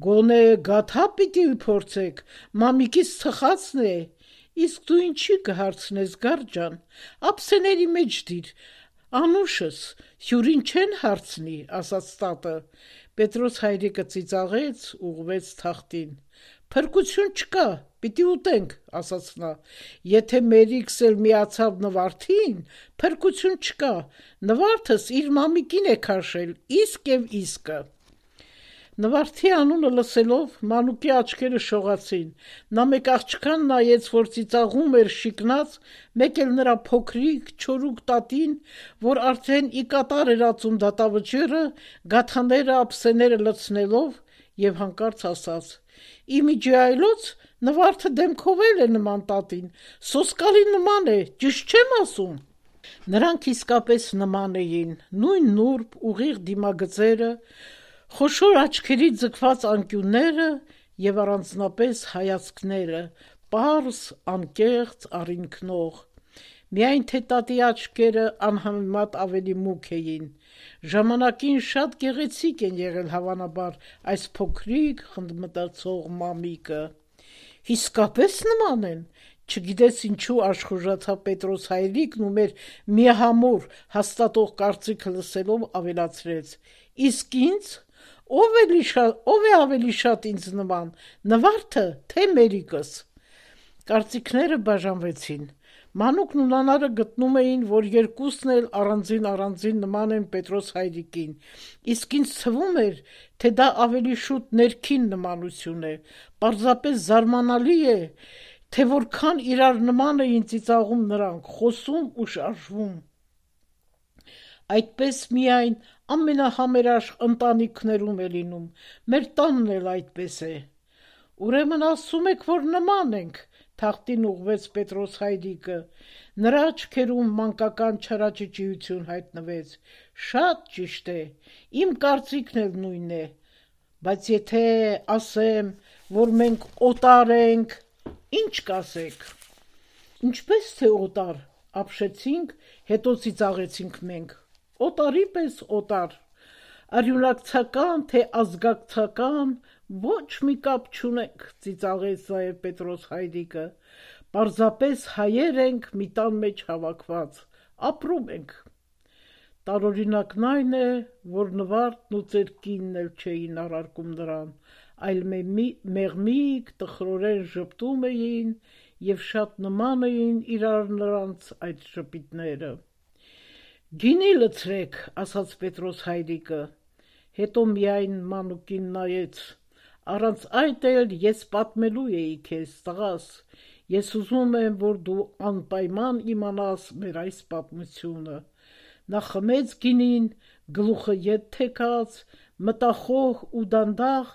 գոնե գաթա պիտի փորձեք, մամիկիս թխածն է»։ «Իսկ դու ինչի կհարցնես, Գարջան, ափսեների մեջ դիր, անուշս, հյուրին չեն հարցնի», ասաց տատը։ Պետրոս հայրիկը ծիծաղեց, ուղղվեց թախտին։ «Փրկություն չկա, պիտի ուտենք», ասաց նա։ «Եթե Մերիքս էլ միացավ Նվարդին, փրկություն չկա, Նվարդս իր մամիկին է քաշել, իսկ եւ իսկը»։ Նվարդի անունը լսելով Մանուկի աչքերը շողացին, նա մեկ աղջկան նայեց, որ ծիծաղում էր շիկնած, մեկ էլ նրա փոքրիկ, չորուկ տատին, որ արդեն ի կատար էր ածում դատավճիռը, գաթաները, ափսեները լցնելով, եւ հանկարծ ասաց. «Իմիջի այլոց Նվարդը դեմքով էլ է նման տատին, սոսկալի նման է, ճիշտ չեմ ասում»։ Նրանք իսկապես նման էին, նույն նուրբ, ուղիղ դիմագծերը, խոշոր աչքերի ձգված անկյունները եւ առանձնապես հայացքները, պարզ, անկեղծ, առինքնող։ Միայն թե տատի աչքերը անհամեմատ ավելի մուգ էին։ Ժամանակին շատ գեղեցիկ են եղել հավանաբար այս փոքրիկ խնդմտացող մամիկը։ Իսկապես նման են, չգիտես ինչու աշխուժացավ Պետրոս հայրիկն ու մեր միահամուռ հաստատող կարծիքը լսելով ավելացրեց. իսկ ինձ ով է ավելի շատ ինձ նման, Նվարդը թե Մերիկս։ Կարծիքները բաժանվեցին։ Մանուկն ու Նանարը գտնում էին, որ երկուսն էլ առանձին նման են Պետրոս հայրիկին, իսկ ինձ թվում էր, թե դա ավելի շուտ ներքին նմանություն է, պարզապես զարմանալի է, թե որքան իրար նման էին ծիծաղում նրանք, խոսում ու շարժվում։ Այդպես միայն ամենահամերաշխ ընտանիքներում է լինում, մեր տանն էլ այդպես է։ Ուրեմն ասում եք, որ նման ենք, թախտին ուղղվեց Պետրոս հայրիկը, նրա աչքերում մանկական չարաճճիություն հայտնվեց։ Շատ ճիշտ է, իմ կարծիքն էլ նույնն է, բայց եթե ասեմ, որ մենք օտար ենք, ինչ կասեք։ Ինչպես թե օտար, ապշեցինք, հետո ծիծաղեցինք մենք։ Օտարի պես օտար, արյունակցական թե ազգակցական, ոչ մի կապ չունենք, ծիծաղեց նաև Պետրոս հայրիկը, պարզապես հայեր ենք մի տան մեջ հավաքված, ապրում ենք։ Տարօրինակն այն է, որ Նվարդն ու ծեր կինն էլ չէին առարկում նրան, այլ մեղմիկ տխրորեն ժպտում էին և շատ նման էին իրար նրանց այդ ժպիտները։ Գինի լցրեք, ասաց Պետրոս հայրիկը, հետո միայն մանուկին նայեց, առանց այդ էլ ես պատմելու էի քեզ, տղաս, ես ուզում եմ, որ դու անպայման իմանաս մեր այս պատմությունը։ Նա խմեց գինին, գլուխը ետ թեքած, մտախոհ ու դանդաղ,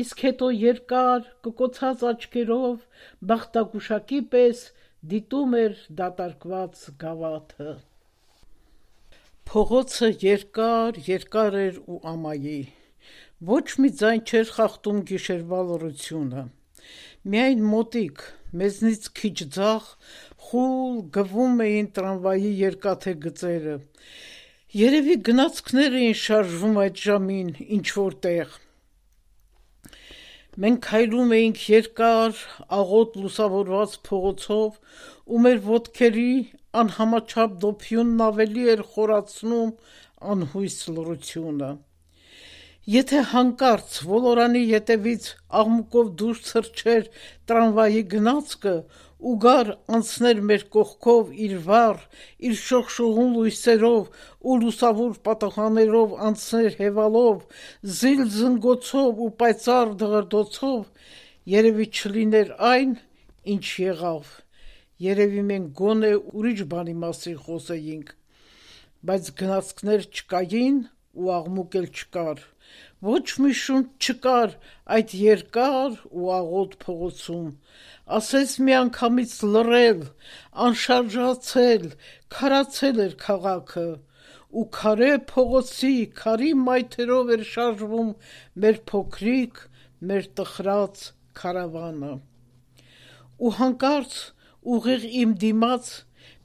իսկ հետո երկար, կկոցած աչքերով, բախտագուշակի պես դիտում էր դատարկված գավաթը։ Փողոցը երկար էր ու ամայի։ Ոչ մի ձայն չէր խախտում գիշերվա լռությունը։ Միայն մոտիկ, մեզնից քիչ ձախ, խուլ գվում էին տրամվայի երկաթե գծերը։ Երևի գնացքներ էին շարժվում այդ ժամին ինչ-որ տեղ։ Մենք քայլում էինք երկար, աղոտ լուսավորված փողոցով, ու մեր ոտքերի անհամաչափ դոփյունն ավելի էր խորացնում անհույս լռությունը։ Եթե հանկարծ ոլորանի ետևից աղմուկով դուրս թռչեր տրամվայի գնացքը ու գար անցներ մեր կողքով իր վառ, իր շողշողուն լույսերով ու լուսավոր պատուհաններով անցներ հևալով, զիլ զնգոցով ու պայծառ դղրդոցով, երևի չլիներ այն, ինչ եղավ, երևի մենք գոնե ուրիշ բանի մասին խոսեինք, բայց գնացքներ չկային ու աղմուկ էլ չկար, ոչ մի շունչ չկար այդ երկար ու աղոտ փողոցում, ասես միանգամից լռել, անշարժացել, քարացել էր քաղաքը, ու քարե փողոցի քարի մայթերով էր շարժվում մեր փոքրիկ, մեր տխրած քարավանը։ Ու հանկարծ ուղիղ իմ դիմաց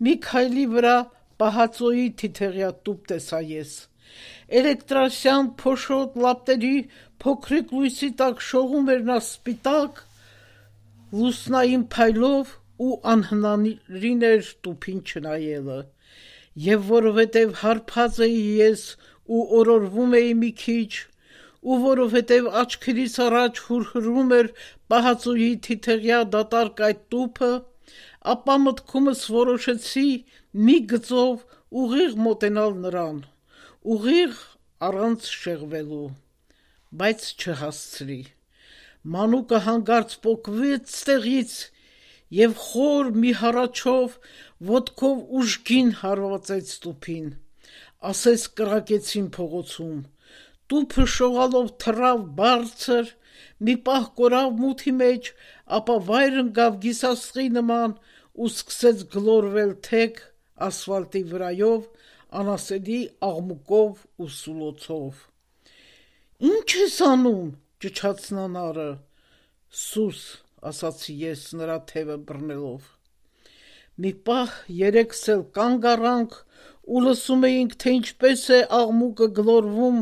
մի քայլի վրա պահածոյի թիթեղյա տուփ տեսա ես։ Էլեկտրասյան փոշոտ լապտերի փոքրիկ լույսի տակ շողում էր նա սպիտակ, լուսնային փայլով ու անհնարին էր տուփին չնայելը։ Եվ որովհետև հարբած էի ես ու օրորվում էի մի քիչ, ու որովհետև աչքերիս առաջ հուրհրում էր պահածոյի թիթեղյա դատարկ այդ տուփը, ապա մտքումս որոշեցի մի գծով ուղիղ մոտենալ նրան, ուղիղ առանց շեղվելու, բայց չհասցրի։ Մանուկը հանկարծ պոկվեց տեղից և խոր մի հառաչով ոտքով ուժգին հարվածեց տուփին, ասես կրակեցին փողոցում, տուփը շողալով թռավ բարձր, մի պահ կորավ մութի մեջ, ապա վայր ընկավ գիսաստղի նման ու սկսեց գլորվել թեք ասֆալտի վրայով, անասելի աղմուկով ու սուլոցով։ «Ինչ ես անում», ճչաց Նանարը։ «Սուս», ասացի ես նրա թևը բռնելով։ Մի պահ երեքս էլ կանգ առանք ու լսում էինք, թե ինչպես է աղմուկը գլորվում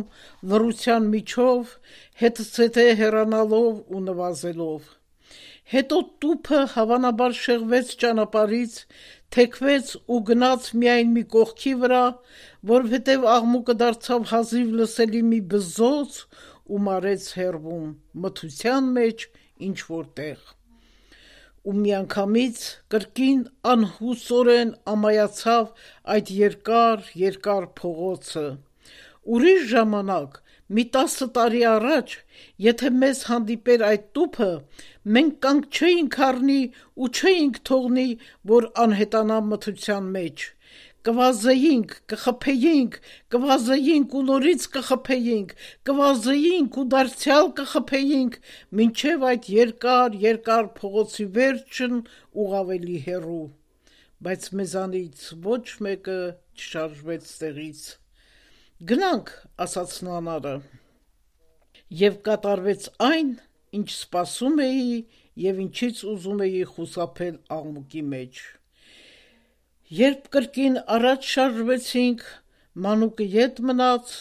լռության միջով, հետզհետե հեռանալով ու նվազելով։ Հետո տուփը հավանաբար շեղվեց ճանապարհից, թեքվեց ու գնաց միայն մի կողքի վրա, որովհետև աղմուկը դարձավ հազիվ լսելի մի բզոց ու մարեց հեռվում, մթության մեջ ինչ-որ տեղ։ Ու միանգամից կրկին անհուսորեն ամայացավ այդ երկար փողոցը։ Ուրիշ ժամանակ, մի 10 տարի առաջ, եթե մեզ հանդիպեր այդ տուփը, մենք կանգ չէինք առնի ու չէինք թողնի, որ անհետանա մթության մեջ։ Կվազեինք, կխփեինք, կվազեինք ու նորից կխփեինք, կվազեինք ու դարձյալ կխփեինք, մինչև այդ երկար փողոցի վերջն ու ավելի հեռու, բայց մեզանից ոչ մեկը չշարժվեց տեղից։ Գնանք, ասաց նանարը, և կատարվեց այն, ինչ սպասում էի և ինչից ուզում էի խուսափել աղմուկի մեջ։ Երբ կրկին առաջ շարժվեցինք, մանուկը ետ մնաց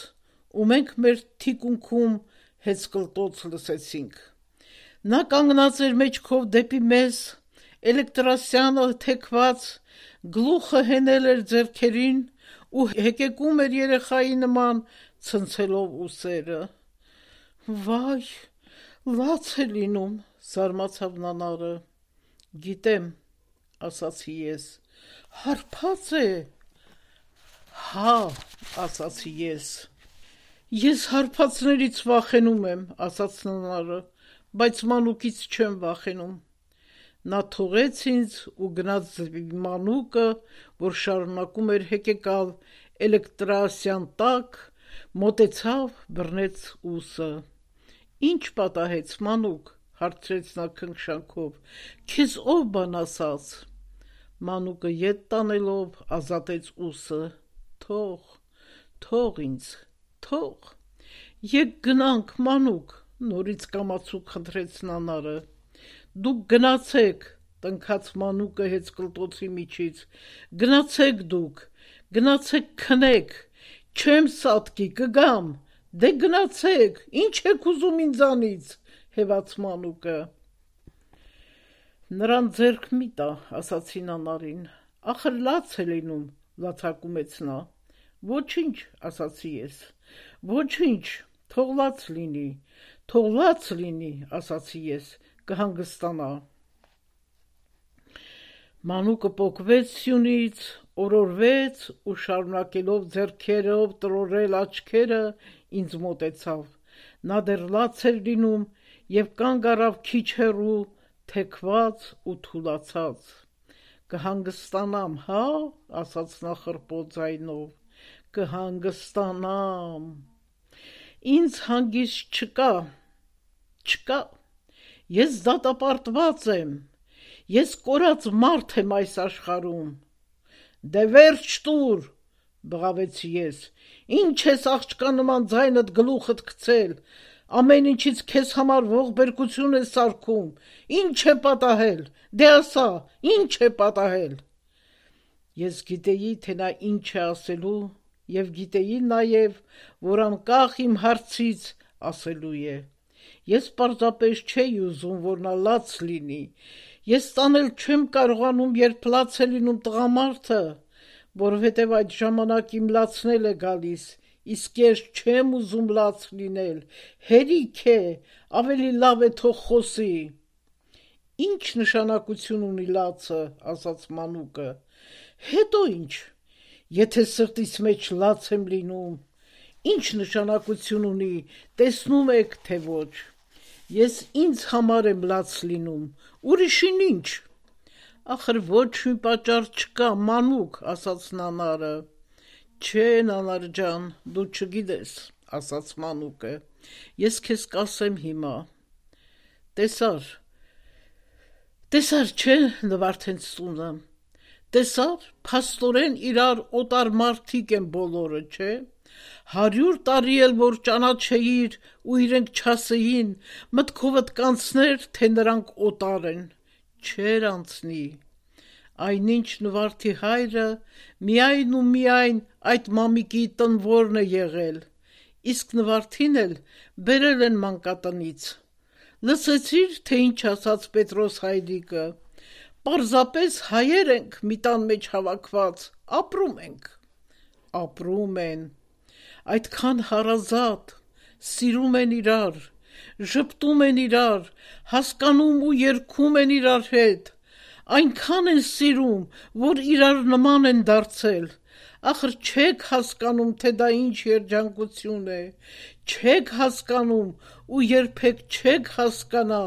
ու մենք մեր թիկունքում հեծկլտոց լսեցինք։ Նա կանգնած էր մեջքով դեպի մեզ, էլեկտրասյանը թեքված, գլուխը հենել էր ձեռքերին ու հեկեկում էր երեխայի նման, ցնցելով ուսերը։ Վայ, լաց է լինում, զարմացավ նանարը։ Գիտեմ, ասացի ես։ Հարբած է։ Հա, ասացի ես։ Ես հարբածներից վախենում եմ, ասաց նանարը, բայց մանուկից չեմ վախենում։ Նա թողեց ինձ ու գնաց դեպի մանուկը, որ շարունակում էր հեկեկալ էլեկտրասյան տակ, մոտեցավ, բռնեց ուսը։ Ինչ պատահեց, մանուկ, հարցրեց նա քնքշանքով, քեզ ով բան ասաց։ Մանուկը ետ տանելով ազատեց ուսը։ Թող ինձ, թող։ Եկ գնանք, մանուկ, նորից կամացուկ խնդրեց նանարը։ Դուք գնացեք, տնքաց մանուկը հեծկլտոցի միջից։ Գնացեք դուք, գնացեք քնեք, չեմ սատկի, կգամ։ Դե գնացեք, ինչ եք ուզում ինձանից, հեվաց մանուկը։ Նրան ձեռք մի տա, ասացի նանարին, ախր լաց է լինում, լացակումեց նա։ Ոչինչ, ասացի ես, ոչինչ, թող լաց լինի, ասացի ես, կհանգստանա։ Մանուկը պոկվեց սյունից, օրորվեց ու շարունակելով ձեռքերով տրորել աչքերը, ինձ մոտեցավ։ Նա դեռ լաց էր լինում և կանգ առավ քիչ հեռու, թեքված ու թուլացած։ Կհանգստանամ, հա, ասաց նա խռպոտ ձայնով, կհանգստանամ։ Ինձ հանգիստ չկա, ես դատապարտված եմ, ես կորած մարդ եմ այս աշխարհում։ Դե վերջ տուր, բղավեցի ես, ինչ ես աղջկա նման ձայնդ գլուխդ գցել, ամեն ինչից քեզ համար ողբերգություն ես սարքում, ինչ է պատահել, դե ասա, ինչ է պատահել։ Ես գիտեի, թե նա ինչ է ասելու և գիտեի նաև, որ անկախ իմ հարցից ասելու է։ Ես պարզապես չէի ուզում, որ նա լաց լինի, ես տանել չեմ կարողանում, երբ լաց է լինում տղամարդը, որովհետև այդ ժամանակ իմ լացն է գալիս, իսկ ես չեմ ուզում լաց լինել, հերիք է, ավելի լավ է թող խոսի։ Ինչ նշանակություն ունի լացը, ասաց մանուկը, հետո ինչ, եթե սրտիս մեջ լաց եմ լինում, ինչ նշանակություն ունի, տեսնում եք, թե ոչ, ես ինձ համար եմ լաց լինում, ուրիշին ինչ։ Ախր ոչ մի պատճառ չկա, մանուկ, ասաց նանարը։ Չէ, նանար ջան, դու չգիտես, ասաց մանուկը, ես քեզ կասեմ հիմա։ Տեսար չէ Նվարդենց տունը, տեսար, փաստորեն իրար օտար մարդիկ են բոլորը, չէ, 100 տարի էլ որ ճանաչեիր ու իրենք չասեին, մտքովդ կանցներ, թե նրանք օտար են, չէր անցնի, Այնինչ նվարդի հայրը միայն ու միայն այդ մամիկի տնորն է եղել, իսկ նվարդին էլ բերել են մանկատնից։ Լսեցիր, թե ինչ ասաց Պետրոս հայրիկը, պարզապես հայեր ենք մի տան մեջ հավաքված, ապրում ենք։ Ապրում են, այդքան հարազատ, սիրում են իրար, ժպտում են իրար, հասկանում ու երգում են իրար հետ, այնքան են սիրում, որ իրար նման են դարձել, ախր չեք հասկանում, թե դա ինչ երջանկություն է, չեք հասկանում ու երբեք չեք հասկանա,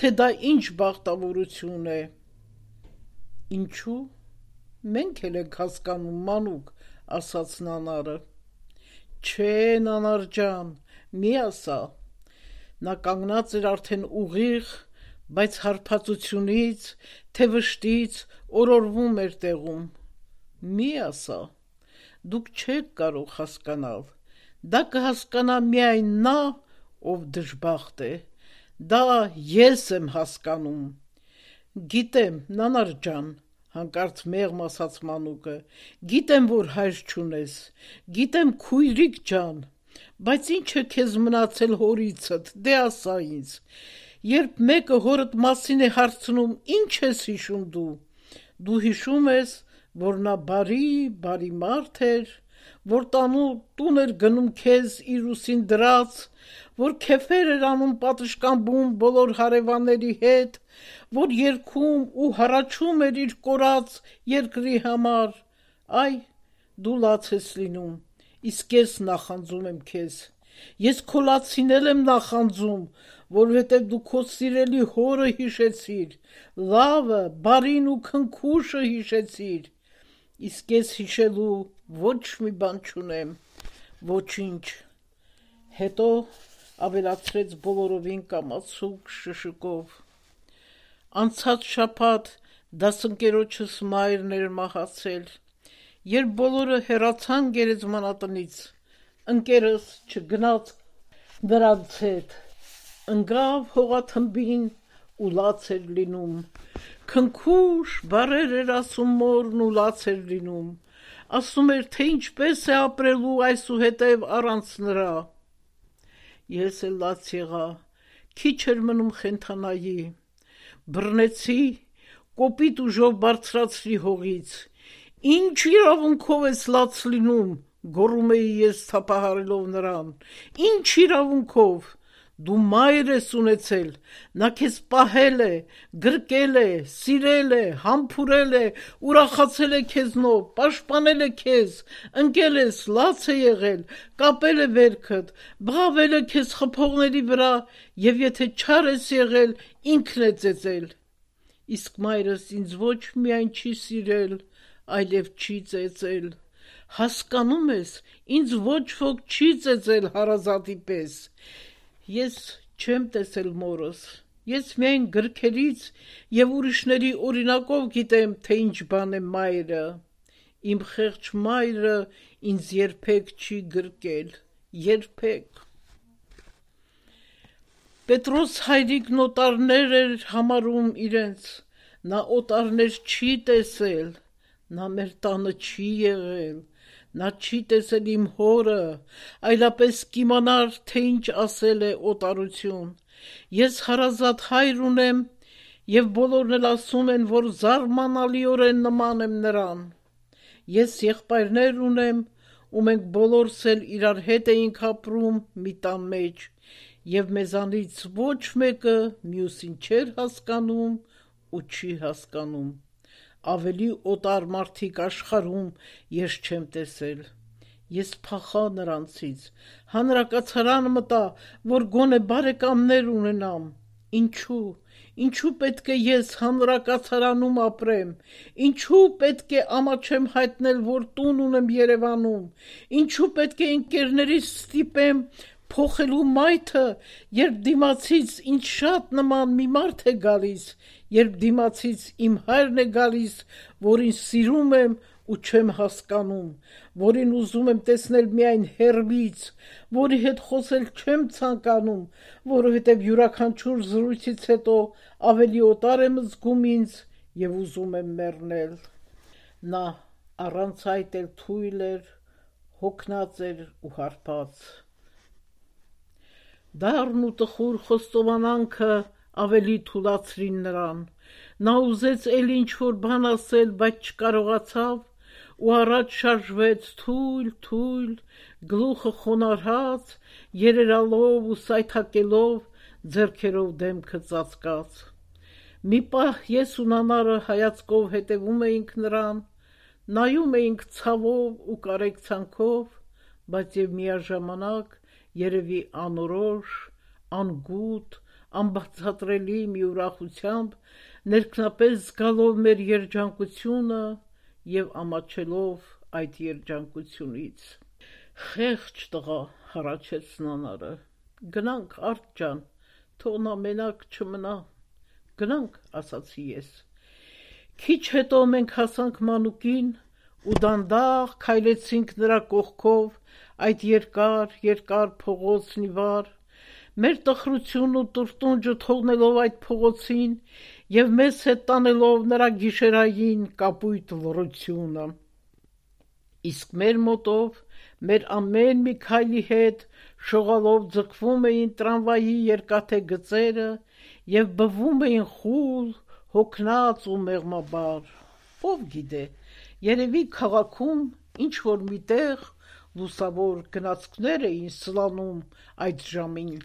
թե դա ինչ բախտավորություն է։ Ինչու՞։ Մենք էլ ենք հասկանում, մանուկ, ասաց նանարը։ Չէ, նանար ջան, մի ասա։ Նա կանգնած էր արդեն ուղիղ, բայց հարբածությունից, թե վշտից օրորվում էր տեղում։ Մի ասա, դուք չեք կարող հասկանալ, դա կհասկանա միայն նա, ով դժբախտ է, դա ես եմ հասկանում։ Գիտեմ, նանար ջան, հանկարծ մեղմ ասաց մանուկը, գիտեմ, որ հայր չունես, գիտեմ քույրիկ ջան, բայց ինչ է քեզ մնացել հորիցդ, դե ասա ինձ, երբ մեկը հորդ մասին է հարցնում, ինչ ես հիշում դու հիշում ես, որ նա բարի մարդ էր, որ տուն էր գնում քեզ իր ուսին դրած, որ քեֆեր էր անում պատշգամբում բոլոր հարևանների հետ, որ երգում ու հառաչում էր իր կորած երկրի համար, այ, դու լաց ես լինում, իսկ ես նախանձում եմ քեզ, ես քո լացին էլ եմ նախանձում, որովհետև դու քո սիրելի հորը հիշեցիր, լավը, բարին ու քնքուշը հիշեցիր, իսկ ես հիշելու ոչ մի բան չունեմ, ոչինչ։ Հետո ավելացրեց բոլորովին կամացուկ շշկով. Անցած շաբաթ դասընկերոջս մայրն էր մահացել, երբ բոլորը հեռացան գերեզմանատնից, ընկերս չգնաց նրանց հետ, ընկավ հողաթմբին ու լաց էր լինում, քնքուշ բառեր էր ասում մորն ու լաց էր լինում, ասում էր, թե ինչպես է ապրելու այսուհետև առանց նրա։ Ես էլ լաց եղա, քիչ էր մնում խենթանայի, բռնեցի, կոպիտ ուժով բարձրացրի հողից, ինչ իրավունքով ես լաց լինում, գոռում էի ես թափահարելով նրան, ինչ իրավունքով, դու մայր ես ունեցել, նա քեզ պահել է, գրկել է, սիրել է, համբուրել է, ուրախացել է քեզնով, պաշտպանել է քեզ, ընկել ես, լաց է եղել, կապել է վերքդ, բղավել է քեզ խփողների վրա և եթե չար ես եղել, ինքն է ծեծել, իսկ մայրս ինձ ոչ միայն չի սիրել, այլև չի ծեծել, հասկանում ես, ինձ ոչ ոք չի ծեծել հարազատի պես, ես չեմ տեսել մորս, ես միայն գրքերից և ուրիշների օրինակով գիտեմ, թե ինչ բան է մայրը, իմ խեղճ մայրը ինձ երբեք չի գրկել, երբեք։ Պետրոս հայրիկն օտարներ էր համարում իրենց, նա օտարներ չի տեսել, նա մեր տանը չի եղել, նա չի տեսել իմ հորը, այլապես կիմանար, թե ինչ ասել է օտարություն, ես հարազատ հայր ունեմ և բոլորն էլ ասում են, որ զարմանալիորեն նման եմ նրան, ես եղբայրներ ունեմ ու մենք բոլորս էլ իրար հետ էինք ապրում մի տան մեջ և մեզանից ոչ մեկը մյուսին չէր հասկանում ու չի հասկանում, ավելի օտար մարդիկ աշխարհում ես չեմ տեսել, ես փախա նրանցից, հանրակացարան մտա, որ գոնե բարեկամներ ունենամ, ինչու պետք է ես հանրակացարանում ապրեմ, ինչու պետք է ամաչեմ հայտնել, որ տուն ունեմ Երևանում, ինչու պետք է ընկերներիս ստիպեմ փոխելու մայթը, երբ դիմացից ինձ շատ նման մի մարդ է գալիս, երբ դիմացից իմ հայրն է գալիս, որին սիրում եմ ու չեմ հասկանում, որին ուզում եմ տեսնել միայն հեռվից, որի հետ խոսել չեմ ցանկանում, որովհետև յուրաքանչյուր զրույցից հետո ավելի օտար եմ զգում ինձ եւ ուզում եմ մեռնել։ Նա առանց այդ էլ թույլ էր, հոգնած էր ու հարբած։ Դառն ու տխուր խոստովանանքը ավելի թուլացրին նրան։ Նա ուզեց էլ ինչ-որ բան ասել, բայց չկարողացավ ու առաջ շարժվեց թույլ, գլուխը խոնարհած, երերալով ու սայթաքելով, ձեռքերով դեմքը ծածկած։ Մի պահ ես ու Նանարը հայացքով հետևում էինք նրան, նայում էինք ցավով ու կարեկցանքով, բայց եւ միաժամանակ երևի անորոշ, անգութ, անբացատրելի մի ուրախությամբ, ներքնապես զգալով մեր երջանկությունը եւ ամաչելով այդ երջանկությունից։ «Խեղճ տղա», հառաչեց Նանարը, «գնանք, Արդ ջան, թող նա մենակ չմնա»։ «Գնանք», ասացի ես։ Քիչ հետո մենք հասանք մանուկին ու դանդաղ քայլեցինք նրա կողքով այդ երկար փողոցն ի վար, մեր տխրությունն ու տրտունջը թողնելով այդ փողոցին եւ մեզ հետ տանելով նրա գիշերային կապույտ լռությունը։ Իսկ մեր մոտով մեր ամեն մի քայլի հետ շողալով ձգվում էին տրամվայի երկաթե գծերը եւ բվում էին խուլ, հոգնած ու մեղմաբար։ Ով գիտե, երևի քաղաքում ինչ-որ մի տեղ լուսավոր գնացքներ էին սլանում այդ ժամին։